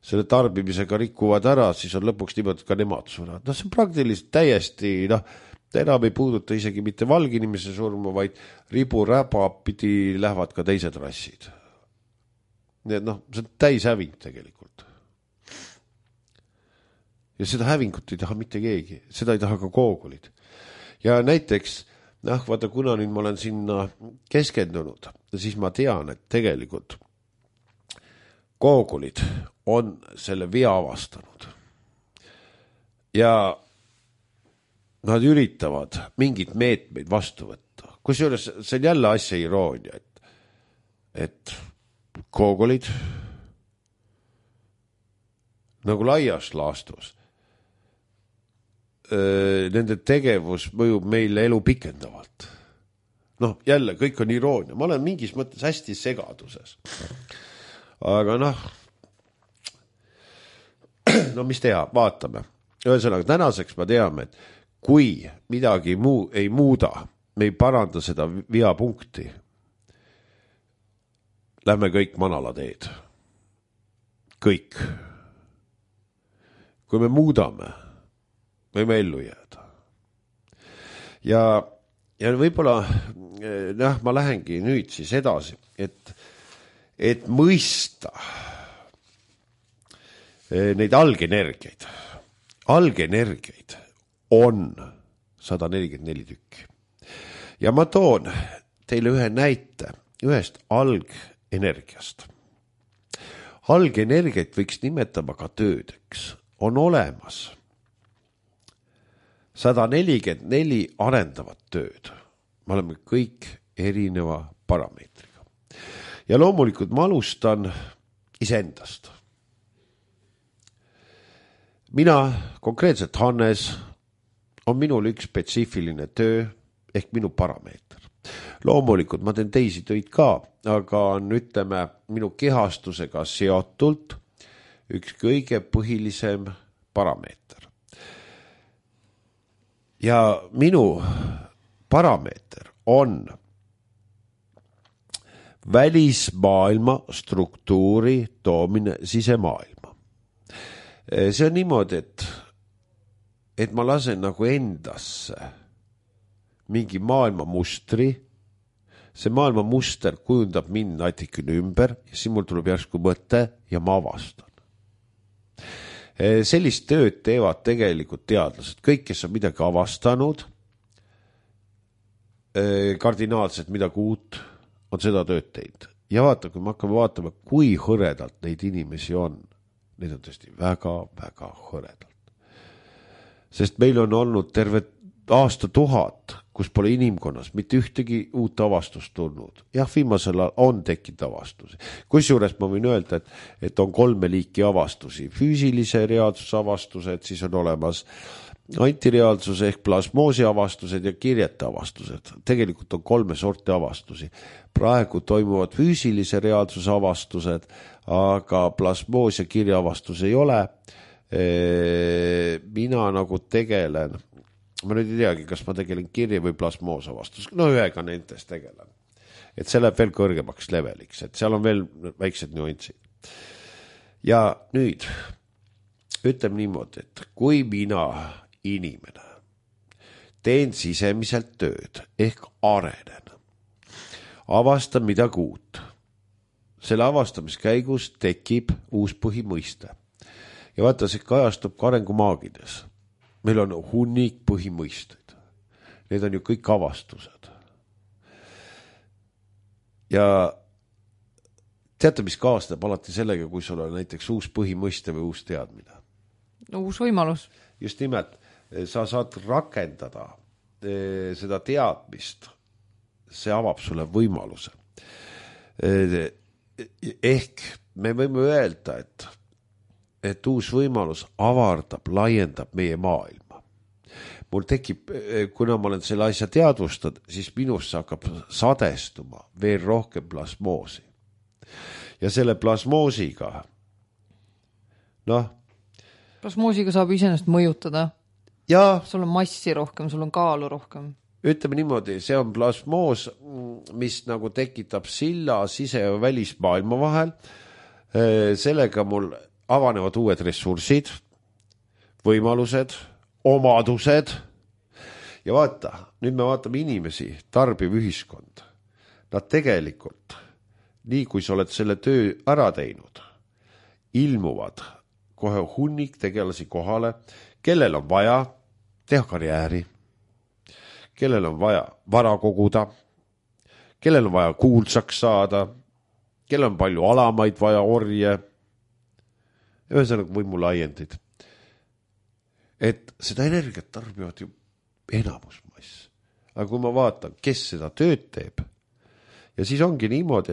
selle tarbimisega rikuvad ära, siis on lõpuks niimoodi ka nemad surevad. See on praktiliselt täiesti, enam ei puuduta isegi mitte valge inimese surma, vaid ribu-räba pidi lähevad ka teised rassid. Nii et see on täishäving tegelikult. Ja seda hävingut ei taha mitte keegi, seda ei taha ka koogulid. Ja näiteks, vaata, kuna nüüd ma olen sinna keskendunud, siis ma tean, et tegelikult koogulid on selle vea avastanud. Ja nad üritavad mingid meetmeid vastu võtta. Kusjuures see on jälle asja iroonia, et koogulid nagu laias laastus nende tegevus mõjub meile elu pikendavalt. Jälle, kõik on iroonia. Ma olen mingis mõttes hästi segaduses. Aga mis teha, vaatame. Ühesõnaga, tänaseks ma teame, et kui midagi ei muuda, me ei paranda seda veapunkti, lähme kõik manala teed. Kõik. Kui me muudame, võime ellu jääda. Ja võib-olla ma lähengi nüüd siis edasi, et mõista neid algenergiaid. Algenergiaid on 144 tükki. Ja ma toon teile ühe näite ühest algenergiast. Algenergiaid võiks nimetama ka töödeks. On olemas 144 arendavat tööd. Me oleme kõik erineva parameetriga. Ja loomulikult ma alustan iseendast. Mina, konkreetselt Hannes, on minul üks spetsiifiline töö ehk minu parameeter. Loomulikult ma teen teisi töid ka, aga on, ütleme, minu kehastusega seotult üks kõige põhilisem parameeter. Ja minu parameeter on välismaailma struktuuri toomine sisemaailma. See on niimoodi, et ma lasen nagu endasse mingi maailma mustri, see maailma muster kujundab mind natikene ümber ja siis mul tuleb järsku mõte ja ma avastan. Sellist tööd teevad tegelikult teadlased. Kõik, kes on midagi avastanud, kardinaalselt midagi uut, on seda tööd teinud. Ja vaata, kui me hakkame vaatama, kui hõredalt neid inimesi on, neid on tõesti väga, väga hõredalt. Sest meil on olnud terve aastatuhat, kus pole inimkonnas mitte ühtegi uut avastust tulnud. Jah, viimasel on tekkinud avastusi. Kusjuures ma võin öelda, et on 3 liiki avastusi. Füüsilise reaalsuse avastused, siis on olemas antireaalsuse ehk plasmoosi avastused ja kirjete avastused. Tegelikult on 3 sorti avastusi. Praegu toimuvad füüsilise reaalsuse avastused, aga plasmoos ja kirja avastus ei ole. Mina nagu tegelen, ma nüüd ei teagi, kas ma tegelen kirja või plasmoos avastus. Ühega nendest tegelen. Et see läheb veel kõrgemaks leveliks, et seal on veel väiksed nüansid. Ja nüüd ütleme niimoodi, et kui mina inimene teen sisemiselt tööd ehk arenen, avastan midagi uut. Selle avastamiskäigus tekib uus põhimõiste. Ja vaata, see kajastub ka arengumaagides. Meil on hunnik põhimõisteid. Need on ju kõik avastused. ja teate, mis kaasneb alati sellega, kui sul on näiteks uus põhimõiste või uus teadmine? Uus võimalus. Just nimelt, sa saad rakendada seda teadmist, see avab sulle võimaluse. Ehk me võime öelda, et uus võimalus avardab, laiendab meie maailma. Mul tekib, kuna ma olen selle asja teadvustanud, siis minusse hakkab sadestuma veel rohkem plasmoosi. Ja selle plasmoosiga, plasmoosiga saab iseenesest mõjutada. Ja sul on massi rohkem, sul on kaalu rohkem. Ütleme niimoodi, see on plasmoos, mis nagu tekitab silla sise- ja välismaailma vahel. Sellega mul avanevad uued ressursid, võimalused, omadused. Ja vaata, nüüd me vaatame inimesi, tarbiv ühiskond. Nad tegelikult, nii kui sa oled selle töö ära teinud, ilmuvad kohe hunnik tegelasi kohale, kellel on vaja teha karjääri, kellel on vaja vara koguda, kellel on vaja kuulsaks saada, kellel on palju alamaid vaja orje, ühesõnaga võimulaiendid. Et seda energiat tarbivad ju enamusmass. Aga kui ma vaatan, kes seda tööd teeb, ja siis ongi niimoodi,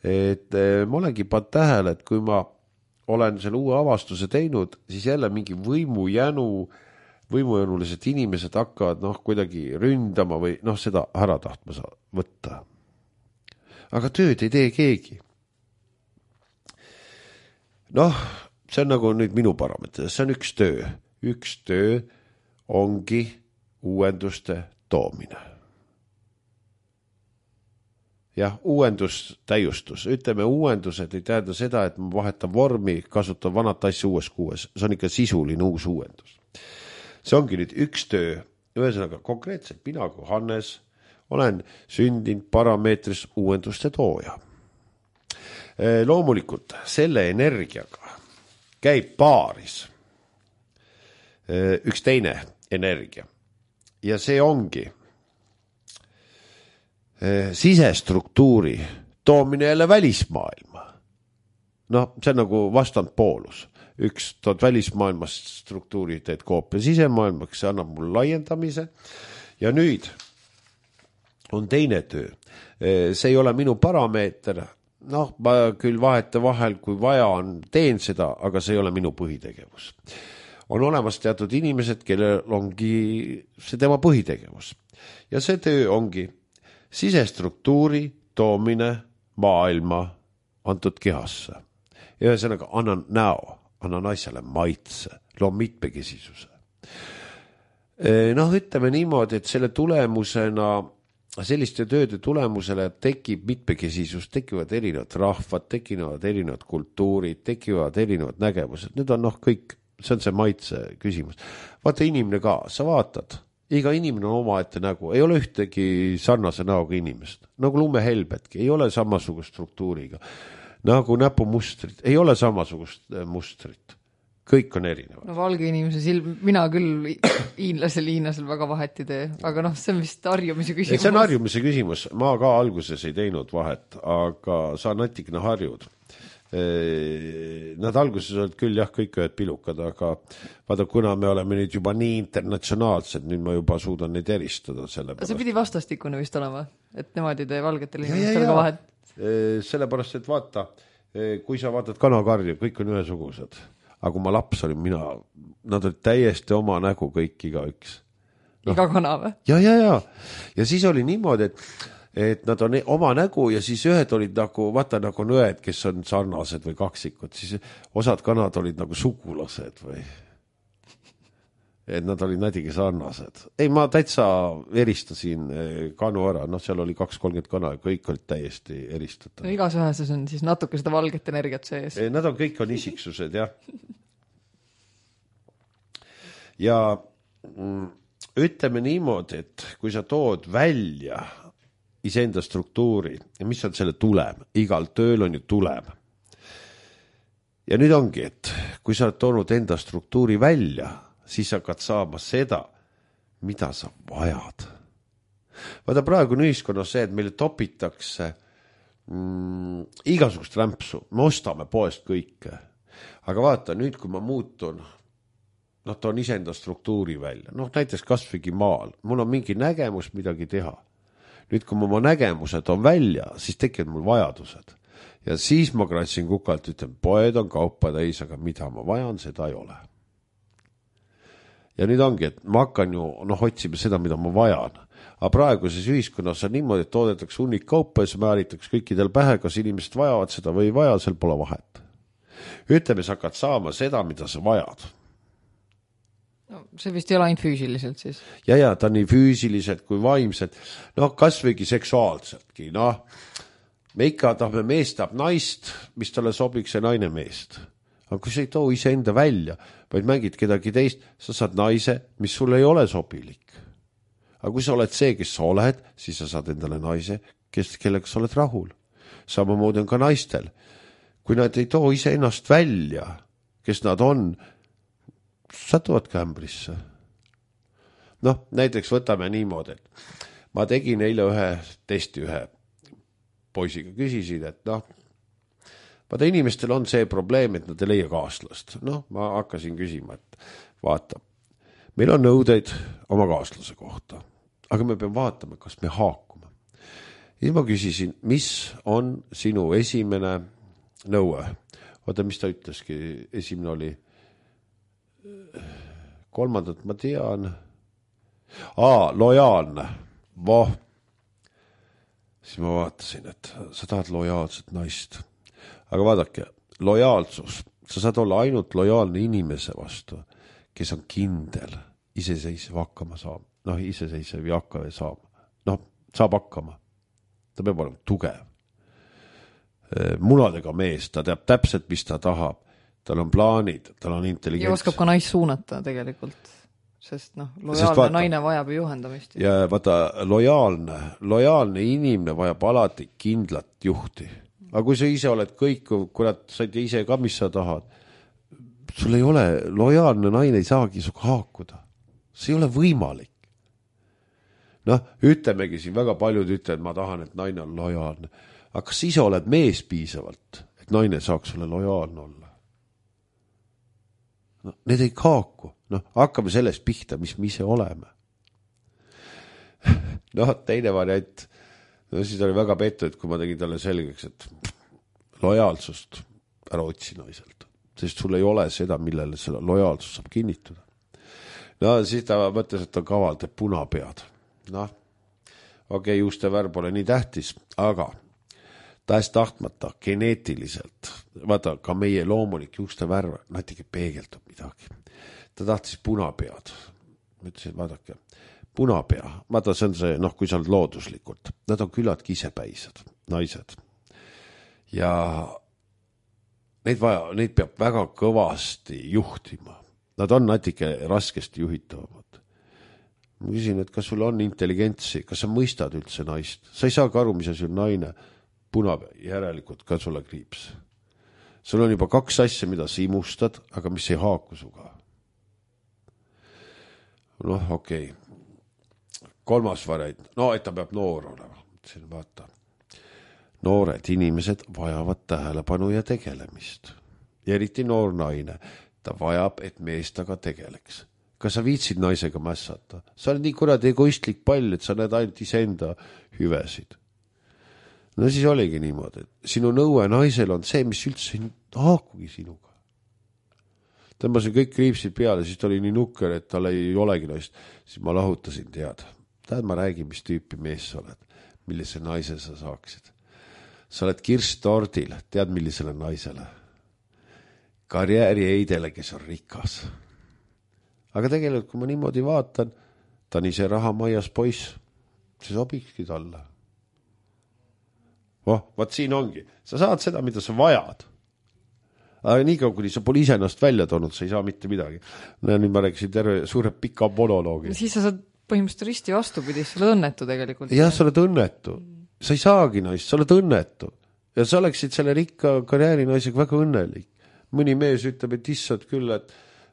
et ma olengi pannud tähele, et kui ma olen selle uue avastuse teinud, siis jälle mingi võimujänulised inimesed hakkavad kuidagi ründama või seda ära tahtma võtta. Aga tööd ei tee keegi. See on nagu nüüd minu parameter, see on üks töö. Üks töö ongi uuenduste toomine. Jah, uuendus, täiustus. Ütleme, uuendused ei tähenda seda, et ma vahetan vormi, kasutan vanat asja uues kuues. See on ikka sisuline uus uuendus. See ongi nüüd üks töö. Ühesõnaga, konkreetselt mina kui Hannes olen sündinud parameetris uuenduste tooja. Loomulikult selle energiaga käib paaris üks teine energia. Ja see ongi sisestruktuuri toomine jälle välismaailma. See on nagu vastandpoolus. Üks tood välismaailmast struktuuri teed koopia sisemaailmaks, see annab mul laiendamise. Ja nüüd on teine töö. See ei ole minu parameeter. Ma küll vahete vahel, kui vaja on, teen seda, aga see ei ole minu põhitegevus. On olemas teatud inimesed, kellel ongi see tema põhitegevus. Ja see töö ongi sisestruktuuri toomine maailma antud kehasse. Ja ühesõnaga annan näo, annan asjale maitse, loon mitmekesisuse. Ütleme niimoodi, et selle tulemusena, selliste tööde tulemusele tekib mitmekesisus, tekivad erinevad rahvad, tekivad erinevad kultuurid, tekivad erinevad nägemused. Need on kõik, see on see maitse küsimus. Vaata inimene ka, sa vaatad, iga inimene on omaette nägu, ei ole ühtegi sarnase näoga inimest. Nagu lumehelbetki, ei ole samasugust struktuuriga. Nagu näpumustrid, ei ole samasugust mustrit. Kõik on erinevad. Valge inimese silm, mina küll hiinlasel väga vahet ei tee, aga see on vist harjumise küsimus. See on harjumise küsimus. Ma ka alguses ei teinud vahet, aga sa natikene harjud. Nad alguses olid küll kõik ühed pilukad, aga vaata, kuna me oleme nüüd juba nii internatsionaalsed, nüüd ma juba suudan neid eristada. See pidi vastastikune vist olema, et nemad ei tee valgetel inimestel ka vahet. Sellepärast, et vaata, kui sa vaatad kanakarju, kõik on ühesugused. Aga kui ma laps olin, nad olid täiesti oma nägu kõik igaüks. Iga kana või? Ja. Ja siis oli niimoodi, et nad on oma nägu ja siis ühed olid nagu, vaata nagu on õed, kes on sarnased või kaksikud, siis osad kanad olid nagu sugulased või et nad olid natuke sarnased. Ei, ma täitsa eristasin kanu ära, seal oli 2-30 kana ja kõik olid täiesti eristatud. Igas üheses on siis natuke seda valget energiat sees. Nad on kõik on isiksused, jah. Ja ütleme niimoodi, et kui sa tood välja iseenda struktuuri ja mis on selle tulem, igal tööl on ju tulem. Ja nüüd ongi, et kui sa oled toonud enda struktuuri välja, siis hakkad saama seda, mida sa vajad. Vaata praegu on ühiskonnas see, et meile topitakse igasugust rämpsu, me ostame poest kõike. Aga vaata, nüüd kui ma muutun, toon iseenda struktuuri välja, näiteks kasvõigi maal, mul on mingi nägemus midagi teha. Nüüd kui ma oma nägemused on välja, siis tekivad mul vajadused. Ja siis ma kratsin kukalt, ütlen, poed on kaupa täis, aga mida ma vajan, seda ei ole. Ja nüüd ongi, et ma hakkan ju otsima seda, mida ma vajan. Aga praeguses ühiskonnas on niimoodi, et toodetakse hunnik kaupa ja see määritakse kõikidel pähe, kas inimesed vajavad seda või ei vaja, seal pole vahet. Ütleme, sa hakkad saama seda, mida sa vajad. No, see vist ei ole ainult füüsiliselt siis. Ja, ta on nii füüsiliselt kui vaimselt. Kasvõigi seksuaalseltki. Me ikka tahame meest tahab naist, mis talle sobiks ja naine meest. Aga kui sa ei too ise enda välja, vaid mängid kedagi teist, sa saad naise, mis sulle ei ole sobilik. Aga kui sa oled see, kes sa oled, siis sa saad endale naise, kellega sa oled rahul. Samamoodi on ka naistel. Kui nad ei too ise ennast välja, kes nad on, satuvad kämbrisse. Näiteks võtame niimoodi, et ma tegin eile ühe testi ühe poisiga, küsisin, et vaata inimestel on see probleem, et nad ei leia kaaslast. Ma hakkasin küsima, et vaata, meil on nõudeid oma kaaslase kohta, aga me peame vaatama, kas me haakume. Ja ma küsisin, mis on sinu esimene nõue? Vaata, mis ta ütleski, esimene oli kolmandat ma tean. Lojaalne. Siis ma vaatasin, et sa tahad lojaalset naist. Aga vaadake, lojaalsus. Sa saad olla ainult lojaalne inimese vastu, kes on kindel, iseseisev hakkama saama. Iseseisev ei hakka saama. Saab hakkama. Ta peab olema tugev. Munadega mees, ta teab täpselt, mis ta tahab. Tal on plaanid, tal on intelligents. Ja oskab ka naist suunata tegelikult, sest lojaalne naine vajab juhendamist. Ja vaata, lojaalne inimene vajab alati kindlat juhti. Aga kui sa ise oled kõik, kurat, sa ei tea ise ka, mis sa tahad, sul ei ole, lojaalne naine ei saagi suga haakuda. See ei ole võimalik. Ütlemegi siin, väga paljud ütlevad, ma tahan, et naine on lojaalne. Aga kas ise oled mees piisavalt, et naine saaks sulle lojaalne olla? Need ei haaku. Hakkame sellest pihta, mis me ise oleme. Teine variant, siis oli väga pettu, et kui ma tegin talle selgeks, et lojaalsust ära otsi naiselt, sest sul ei ole seda, millele selle lojaalsus saab kinnituda. Siis ta mõtles, et ta kaval teeb punapead. Okei, juuste värv pole nii tähtis, aga tahes tahtmata geneetiliselt, vaata ka meie loomulik juuste värv, natuke peegeldub midagi. Ta tahtis punapead. Ma ütlesin, vaadake, punapea, vaata see on see, kui sa oled looduslikult, nad on küllaltki isepäised, naised. Ja neid peab väga kõvasti juhtima. Nad on natuke raskesti juhitavamad. Ma küsin, et kas sul on intelligentsi, kas sa mõistad üldse naist? Sa ei saa ka aru, mis on naine. Punapea, järelikult ka sulle kriips. Sul on juba 2 asja, mida sa imustad, aga mis ei haaku suga. Okei. 3. variant. Et ta peab noor olema. Vaata. Noored inimesed vajavad tähelepanu ja tegelemist. Ja eriti noor naine. Ta vajab, et mees taga tegeleks. Kas sa viitsid naisega mässata? Sa oled nii kuradi egoistlik pall, et sa näed ainult iseenda hüvesid. Siis oligi niimoodi, et sinu nõue naisel on see, mis üldse ei haakugi sinuga. Tõmbasin kõik kriipsid peale, siis ta oli nii nukker, et tal ei olegi naist. Siis ma lahutasin teada. Ma räägin, mis tüüpi mees sa oled, millise naise sa saaksid. Sa oled kirstordil, tead millisele naisele? Karjääri eidele, kes on rikas. Aga tegelikult, kui ma niimoodi vaatan, ta on ise rahamaias poiss. See sobikski talle. Vaat siin ongi. Sa saad seda, mida sa vajad. Aga niikaua, kuni sa pole ise ennast välja toonud, sa ei saa mitte midagi. Nüüd ma rääkisin terve suure pika monoloogi. Siis sa saad põhimõtteliselt risti vastupidi, sa oled õnnetu tegelikult. Jah, sa oled õnnetu. Sa ei saagi naist, sa oled õnnetu. Ja sa oleksid selle rikka karjäärinaisega väga õnnelik. Mõni mees ütleb, et issad küll, et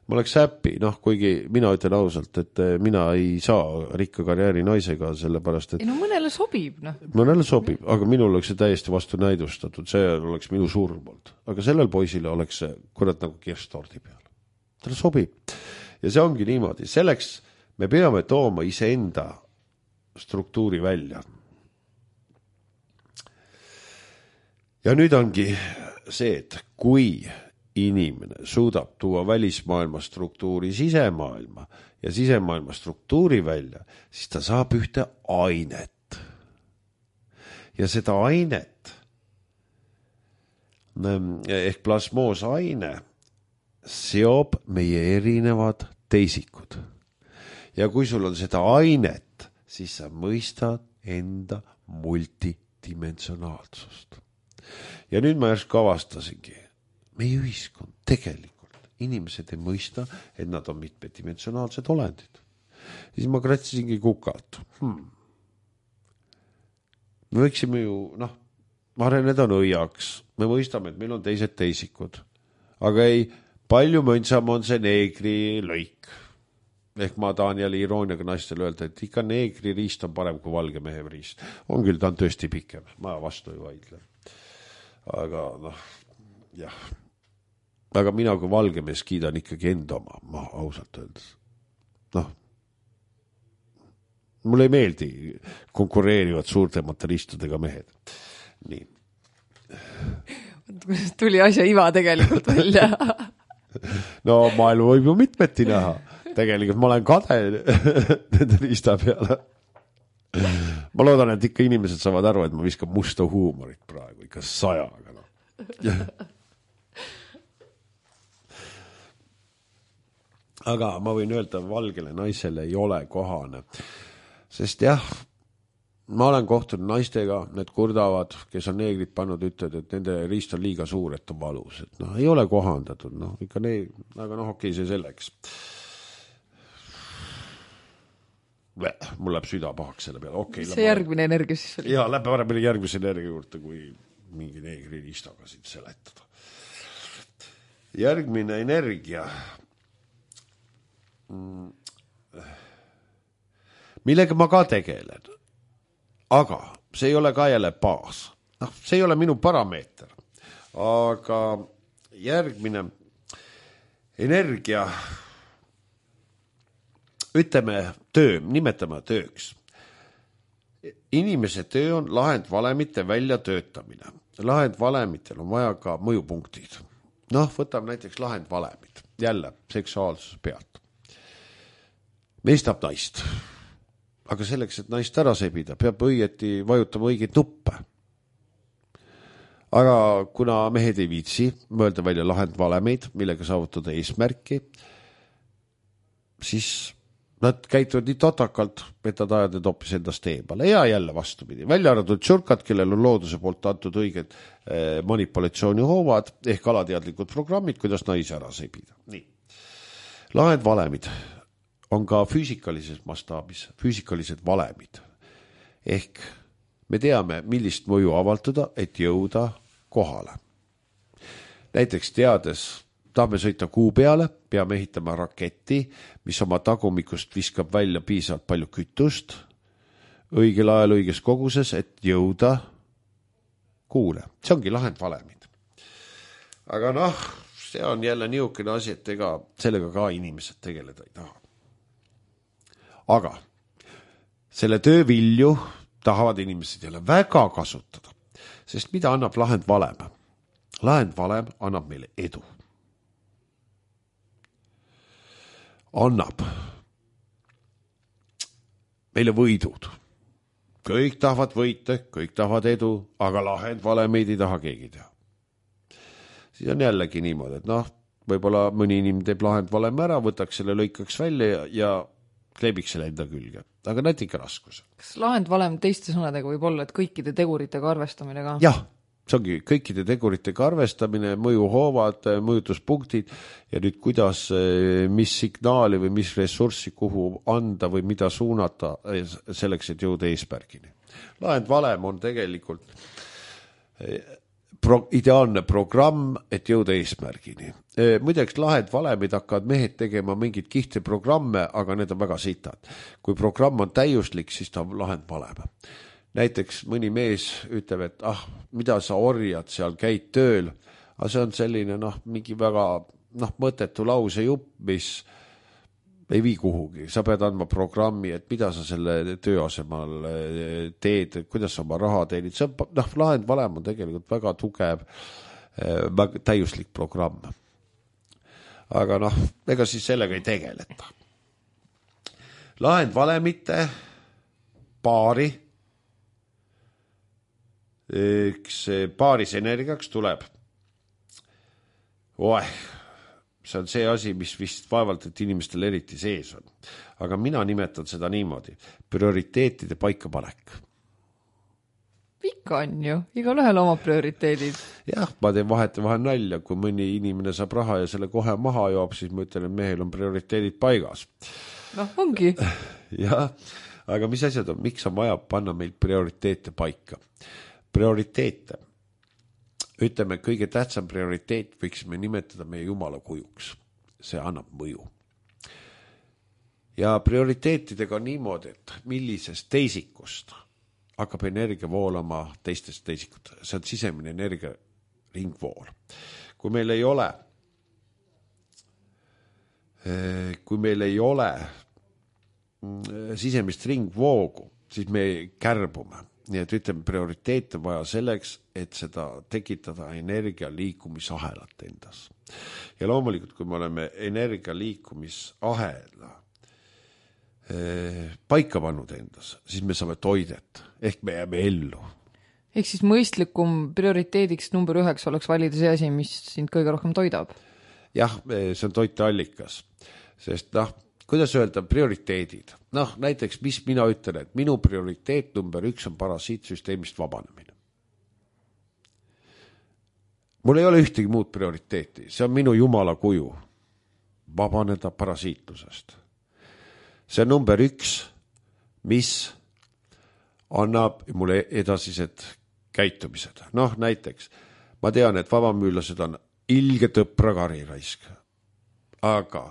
ma oleks happy, kuigi mina ütlen ausalt, et mina ei saa rikka karjääri naisega, sellepärast, et ei no mõnele sobib, mõnele sobib, aga minul oleks see täiesti vastu näidustatud, see oleks minu surm olnud. Aga sellel poisile oleks see kurat nagu kirsttordi peal. Talle sobib. Ja see ongi niimoodi. Selleks me peame tooma iseenda struktuuri välja. Ja nüüd ongi see, et kui inimene suudab tuua välismaailma struktuuri sisemaailma ja sisemaailma struktuuri välja, siis ta saab ühte ainet. Ja seda ainet ehk plasmoosaine seob meie erinevad teisikud. Ja kui sul on seda ainet, siis sa mõistad enda multidimensionaalsust. Ja nüüd ma järsku avastasingi, meie ühiskond tegelikult, inimesed ei mõista, et nad on mitmedimensionaalsed olendid. Siis ma kratsisingi kukalt. Me võiksime ju, areneda nõiaks. Me mõistame, et meil on teised teisikud. Aga ei, palju mõnsam on see neegri lõik. Ehk ma tahan jälle irooniaga naistele öelda, et ikka neegri riist on parem kui valge mehe riist. On küll, ta on tõesti pikem. Ma vastu ei vaidle. Aga jah. Aga mina kui valge mees kiidan ikkagi enda oma, ma ausalt öeldes. Mulle ei meeldi konkureerivad suurte materistudega mehed. Nii. Tuli asja iva tegelikult välja. No maailma võib ju mitmeti näha. Tegelikult ma olen kade nende riista peale. Ma loodan, et ikka inimesed saavad aru, et ma viskan musta huumorit praegu, ikka 100. Aga ma võin öelda, valgele naisele ei ole kohane. Sest jah, ma olen kohtunud naistega, need kurdavad, kes on neegrid pannud, ütlevad, et nende riist on liiga suur, et on valus. Et ei ole kohandatud, ikka aga okei, see selleks. Mul läheb süda pahaks selle peale. Okay, see järgmine energia siis oli? Jaa, läheb paremini järgmise energia juurde, kui mingi neegri riistaga siin seletada. Järgmine energia, millega ma ka tegelen, aga see ei ole ka jälle baas. See ei ole minu parameeter, aga järgmine energia, ütleme töö, nimetame tööks. Inimese töö on lahendvalemite väljatöötamine. Lahendvalemitel on vaja ka mõjupunktid. Võtame näiteks lahendvalemid, jälle seksuaalsuse pealt. Mees tahab naist, aga selleks, et naist ära sebida, peab õieti vajutama õigeid nuppe. Aga kuna mehed ei viitsi mõelda välja lahendvalemeid, millega saavutada eesmärki, siis nad käituvad nii totakalt, et nad ajad need hoopis endast eemale ja jälle vastupidi. Välja arvatud tšurkad, kellel on looduse poolt antud õiged manipulatsioonihoovad ehk alateadlikud programmid, kuidas naisi ära sebida. Nii. Lahendvalemid on ka füüsikalises mastaabis, füüsikalised valemid. Ehk me teame, millist mõju avaldada, et jõuda kohale. Näiteks teades, tahame sõita kuu peale, peame ehitama raketti, mis oma tagumikust viskab välja piisavalt palju kütust, õigel ajal õiges koguses, et jõuda kuule. See ongi lahendvalemid. Aga see on jälle niisugune asi, et ega sellega ka inimesed tegeleda ei taha. Aga selle töövilju tahavad inimesed jälle väga kasutada, sest mida annab lahendvalem? Lahendvalem annab meile edu. Annab meile võidud. Kõik tahavad võite, kõik tahavad edu, aga lahendvalemeid ei taha keegi teha. Siis on jällegi niimoodi, et võib-olla mõni inimene teeb lahendvalem ära, võtaks selle, lõikaks välja ja kleebiks selle enda külge. Aga näed ikka raskus. Kas lahendvalem teiste sõnadega võib olla, et kõikide teguritega arvestamine ka? Jah, see ongi kõikide teguritega arvestamine, mõjuhoovad, mõjutuspunktid ja nüüd kuidas, mis signaali või mis ressurssi kuhu anda või mida suunata selleks, et jõuda eesmärgini. Lahendvalem on tegelikult ideaalne programm, et jõuda eesmärgini. Muideks lahend valemid hakkavad mehed tegema mingid kihte programme, aga need on väga sitad. Kui programm on täiuslik, siis ta on lahend valem. Näiteks mõni mees ütleb, et mida sa orjad seal, käid tööl, aga see on selline mingi väga mõttetu lause jupp, mis ei vii kuhugi. Sa pead andma programmi, et mida sa selle töö asemal teed, kuidas sa oma raha teenid. See on, lahend valem on tegelikult väga tugev, väga täiuslik programm. Aga ega siis sellega ei tegeleta. Lahend valemite paari, paaris energiaks tuleb. See on see asi, mis vist vaevalt, et inimestel eriti sees on. Aga mina nimetan seda niimoodi. Prioriteetide paikapanek. Ikka on ju. Igal ühel oma prioriteedid. Jah, ma teen vahel nalja. Kui mõni inimene saab raha ja selle kohe maha joob, siis ma ütlen, et mehel on prioriteedid paigas. Ongi. Jah, aga mis asjad on? Miks on vaja panna meil prioriteete paika? Prioriteete. Ütleme, kõige tähtsam prioriteet võiksime nimetada meie Jumala kujuks. See annab mõju. Ja prioriteetidega on niimoodi, et millisest teisikust hakkab energia voolama teistest teisikut. See on sisemine energia ringvool. Kui meil ei ole sisemist ringvoogu, siis me kärbume. Nii et ütleme, prioriteet on vaja selleks, et seda tekitada energia liikumisahelat endas. Ja loomulikult, kui me oleme energia liikumisahela paika pannud endas, siis me saame toidet, ehk me jääme ellu. Ehk siis mõistlikum prioriteediks number 1 oleks valida see asi, mis sind kõige rohkem toidab? Jah, see on toiteallikas, sest kuidas öelda prioriteedid? Näiteks, mis mina ütlen, et minu prioriteet number 1 on parasiitsüsteemist vabanemine. Mul ei ole ühtegi muud prioriteeti, see on minu Jumala kuju. Vabaneda parasiitlusest. See on number 1, mis annab mulle edasised käitumised. Näiteks, ma tean, et vabamüülased on ilge tõpra kariraisk, aga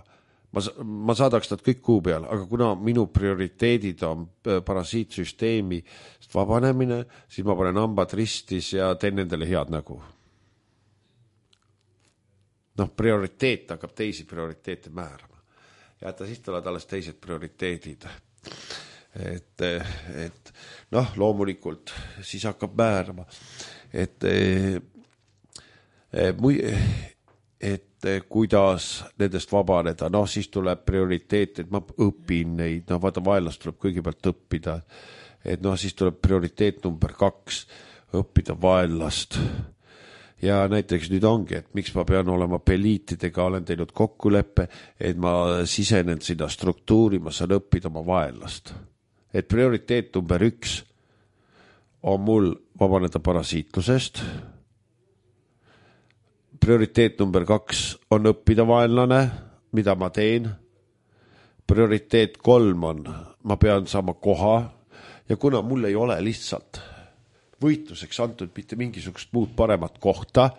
ma saadaks nad kõik kuu peal, aga kuna minu prioriteedid on parasiitsüsteemi vabanemine, siis ma panen hambad ristis ja teen nendele head nägu. Prioriteet hakkab teisi prioriteete määrama. Ja siis tulevad alles teised prioriteedid. Et loomulikult siis hakkab määrama, et kuidas nendest vabaneda, siis tuleb prioriteet, et ma õpin neid, vaata vaenlast tuleb kõigepealt õppida, et siis tuleb prioriteet number 2, õppida vaenlast. Ja näiteks nüüd ongi, et miks ma pean olema peliitidega, olen teinud kokkuleppe, et ma sisenen sinna struktuuri, ma saan õppida oma vaenlast. Et prioriteet number 1 on mul vabaneda parasiitlusest. Prioriteet number 2 on õppida vaenlane, mida ma teen. Prioriteet 3 on, ma pean saama koha ja kuna mul ei ole lihtsalt võitluseks antud mitte mingisugust muud paremat kohta,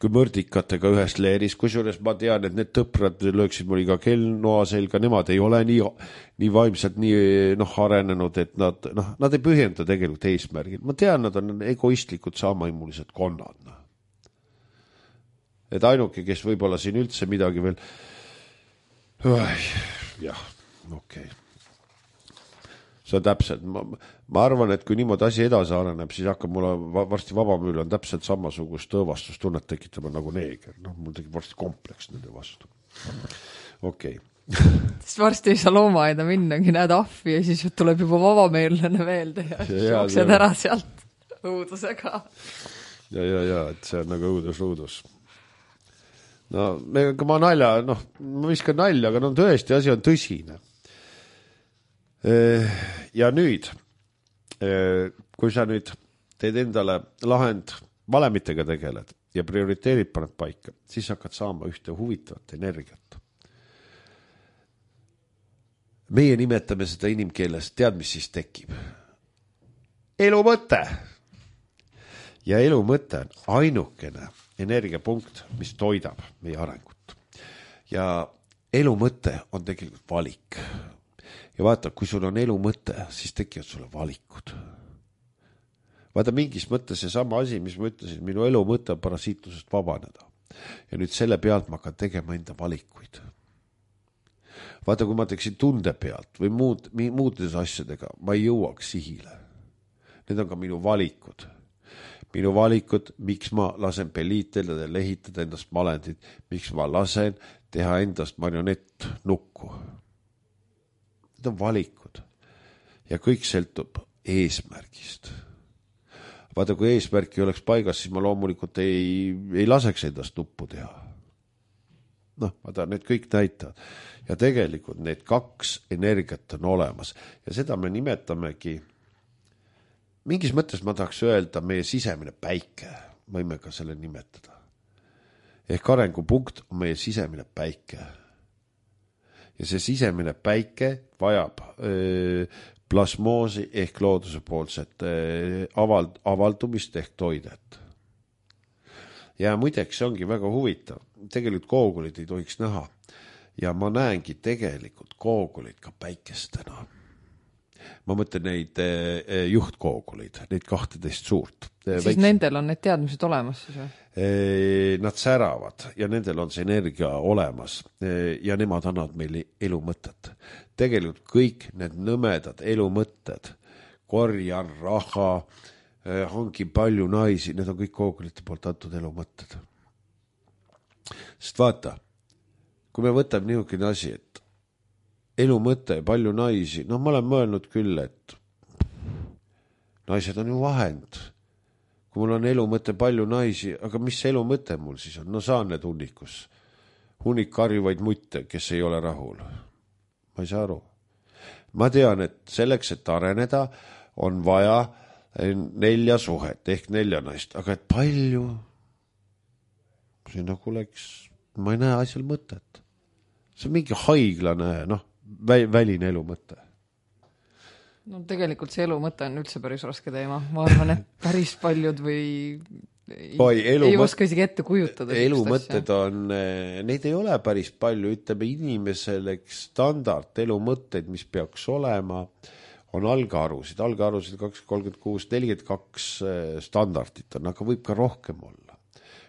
kui mõrdikatega ühes leeris, kusjuures ma tean, et need tõprad lööksid mul iga kellnoa selga, nemad ei ole nii vaimselt nii arenenud, et nad ei pühenda tegelikult eesmärgil. Ma tean, nad on egoistlikud saamaimulised konnad. Et ainuke, kes võib-olla siin üldse midagi veel jah, okei. See on täpselt, ma arvan, et kui niimoodi asi edasi areneb, siis hakkab mulle varsti vabamüül on täpselt samasugust õõvastustunnet tekitama nagu neeger. Mul tekib varsti kompleks nende vastu. Okei. Sest varsti ei saa loomaaeda minnagi, näed ahvi ja siis tuleb juba vabameelane meelde ja jooksed ära sealt õudusega. Ja, et see on nagu õudus. Ma nalja, ma viskan nalja, aga tõesti asi on tõsine. Ja nüüd, kui sa nüüd teed endale lahend valemitega tegeled ja prioriteerid paned paika, siis hakkad saama ühte huvitavat energiat. Meie nimetame seda inimkeeles, tead, mis siis tekib? Elu mõte. ja elu mõte on ainukene energiapunkt, mis toidab meie arengut. Ja elu mõte on tegelikult valik. Ja vaata, kui sul on elu mõte, siis tekivad sulle valikud. Vaata, mingis mõttes see sama asi, mis ma ütlesin, minu elu mõte on parasiitlusest vabaneda. Ja nüüd selle pealt ma hakkan tegema enda valikuid. Vaata, kui ma teeksin tunde pealt või muudes asjadega, ma ei jõuaks sihile. Need on ka minu valikud. Minu valikud, miks ma lasen peliitelda ja lehitada endast malendit, miks ma lasen teha endast marionett nukku. Need on valikud. Ja kõik sõltub eesmärgist. Vaata, kui eesmärki oleks paigas, siis ma loomulikult ei laseks endast nuppu teha. Vaata, need kõik näitavad. Ja tegelikult need kaks energiat on olemas. Ja seda me nimetamegi, mingis mõttes ma tahaks öelda meie sisemine päike. Võime ka selle nimetada. Ehk arengupunkt on meie sisemine päike. Ja see sisemine päike vajab plasmoosi ehk looduse poolset avaldumist ehk toidet. Ja muideks see ongi väga huvitav. Tegelikult koogulid ei tohiks näha. Ja ma näengi tegelikult koogulid ka päikestena. Ma mõtlen neid juhtkooguleid, neid 12 suurt. Siis nendel on need teadmised olemas siis või? Nad säravad ja nendel on see energia olemas ja nemad annavad meile elu mõtet. Tegelikult kõik need nõmedad elu mõtted, korjan raha, hangi palju naisi, need on kõik koogulite poolt antud elu mõtted. Sest vaata, kui me võtame niisugune asi, et elu mõte, palju naisi, ma olen mõelnud küll, et naised on ju vahend. Kui mul on elu mõte, palju naisi, aga mis elu mõte mul siis on? Saan need hunnikus. Hunnik karjuvaid mutte, kes ei ole rahul. Ma ei saa aru. Ma tean, et selleks, et areneda, on vaja 4 suhet ehk 4 naist, aga et palju? See nagu läks, ma ei näe asjal mõtet. See on mingi haiglane, väline elu mõte. No tegelikult see elu mõte on üldse päris raske teema. Ma arvan, et päris paljud ei oska isegi ette kujutada. Elu mõtted on, neid ei ole päris palju, ütleme inimesele standard elu mõtteid, mis peaks olema, on algarusid 236, 42 standardit on, aga võib ka rohkem olla.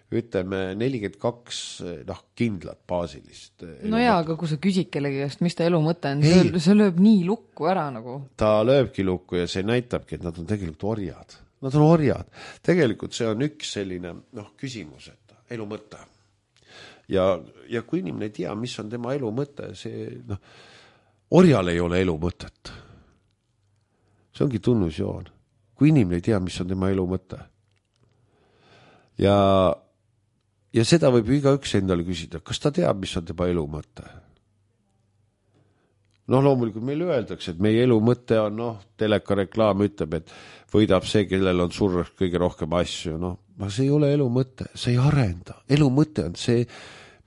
Ütleme 42 kindlat baasilist. No jaa, aga kui sa küsid kellegi käest, mis ta elu mõte on, see lööb nii lukku ära nagu. Ta lööbki lukku ja see näitabki, et nad on tegelikult orjad. Nad on orjad. Tegelikult see on üks selline küsimus, et elu mõte. Ja kui inimene ei tea, mis on tema elu mõte, see orjal ei ole elu mõtet. See ongi tunnusjoon. Kui inimene ei tea, mis on tema elu mõte. Ja seda võib igaüks endale küsida, kas ta teab, mis on tema elu mõte? Loomulikult meile öeldakse, et meie elu mõte on, teleka reklaam ütleb, et võidab see, kellel on surras kõige rohkem asju. Aga see ei ole elu mõte, see ei arenda. Elu mõte on see,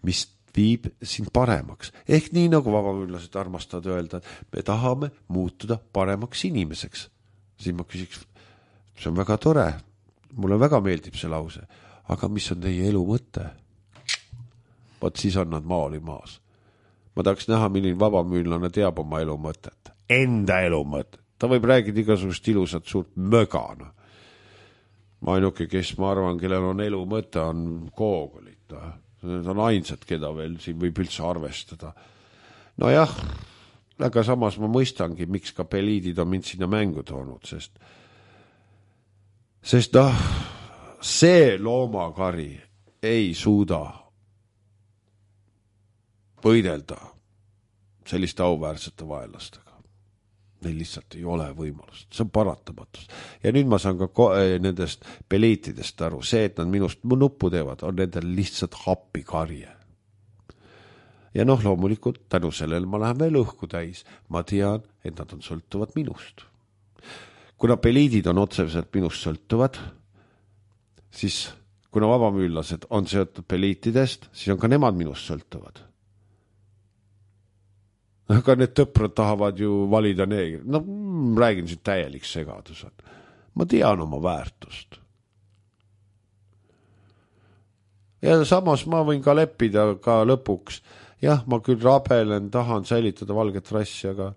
mis viib sind paremaks. Ehk nii nagu vabamüürlased armastavad öelda, et me tahame muutuda paremaks inimeseks. Siis ma küsiks, see on väga tore, mulle väga meeldib see lause. Aga mis on teie elu mõte? Vaat siis on nad maali maas. Ma tahaks näha, milline vabamüürlane teab oma elu mõtet. Enda elu mõtet. Ta võib räägida igasugust ilusat suurt mögana. Ma ainuke, kes ma arvan, kellel on elu mõte, on koogolid. Need on ainsad, keda veel siin võib üldse arvestada. Nojah, aga samas ma mõistangi, miks ka peliidid on mind sinna mängu toonud, sest see loomakari ei suuda võidelda selliste auväärsete vaenlastega. Neil lihtsalt ei ole võimalust. See on paratamatus. Ja nüüd ma saan ka nendest peliitidest aru. See, et nad minust nuppu teevad, on nendel lihtsalt happikarje. Ja loomulikult tänu sellele ma lähen veel õhku täis. Ma tean, et nad on sõltuvad minust. Kuna peliidid on otseselt minust sõltuvad, siis kuna vabamüürlased on seotud peliitidest, siis on ka nemad minust sõltuvad. Aga need tõprad tahavad ju valida neegri. Räägin siin täielik segadus. Ma tean oma väärtust. ja samas ma võin ka leppida ka lõpuks. Jah, ma küll rabelen, tahan säilitada valget rassi, aga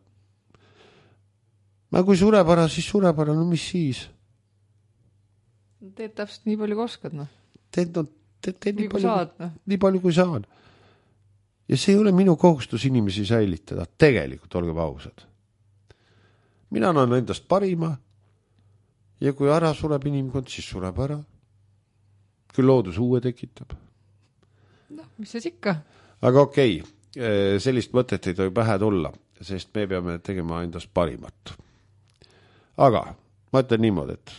kui sureb ära, siis sureb ära, no mis siis? Teed täpselt nii palju kui oskad, noh. Teed nii kui saad, noh. Nii palju kui saan. Ja see ei ole minu kohustus inimesi säilitada. Tegelikult olge ausad. Mina annan endast parima ja kui ära sureb inimkond, siis sureb ära. Küll loodus uue tekitab. No, mis siis ikka? Aga okei, sellist mõtet ei tohi pähe tulla, sest me peame tegema endast parimat. Aga ma ütlen niimoodi, et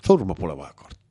surma pole vaja karta.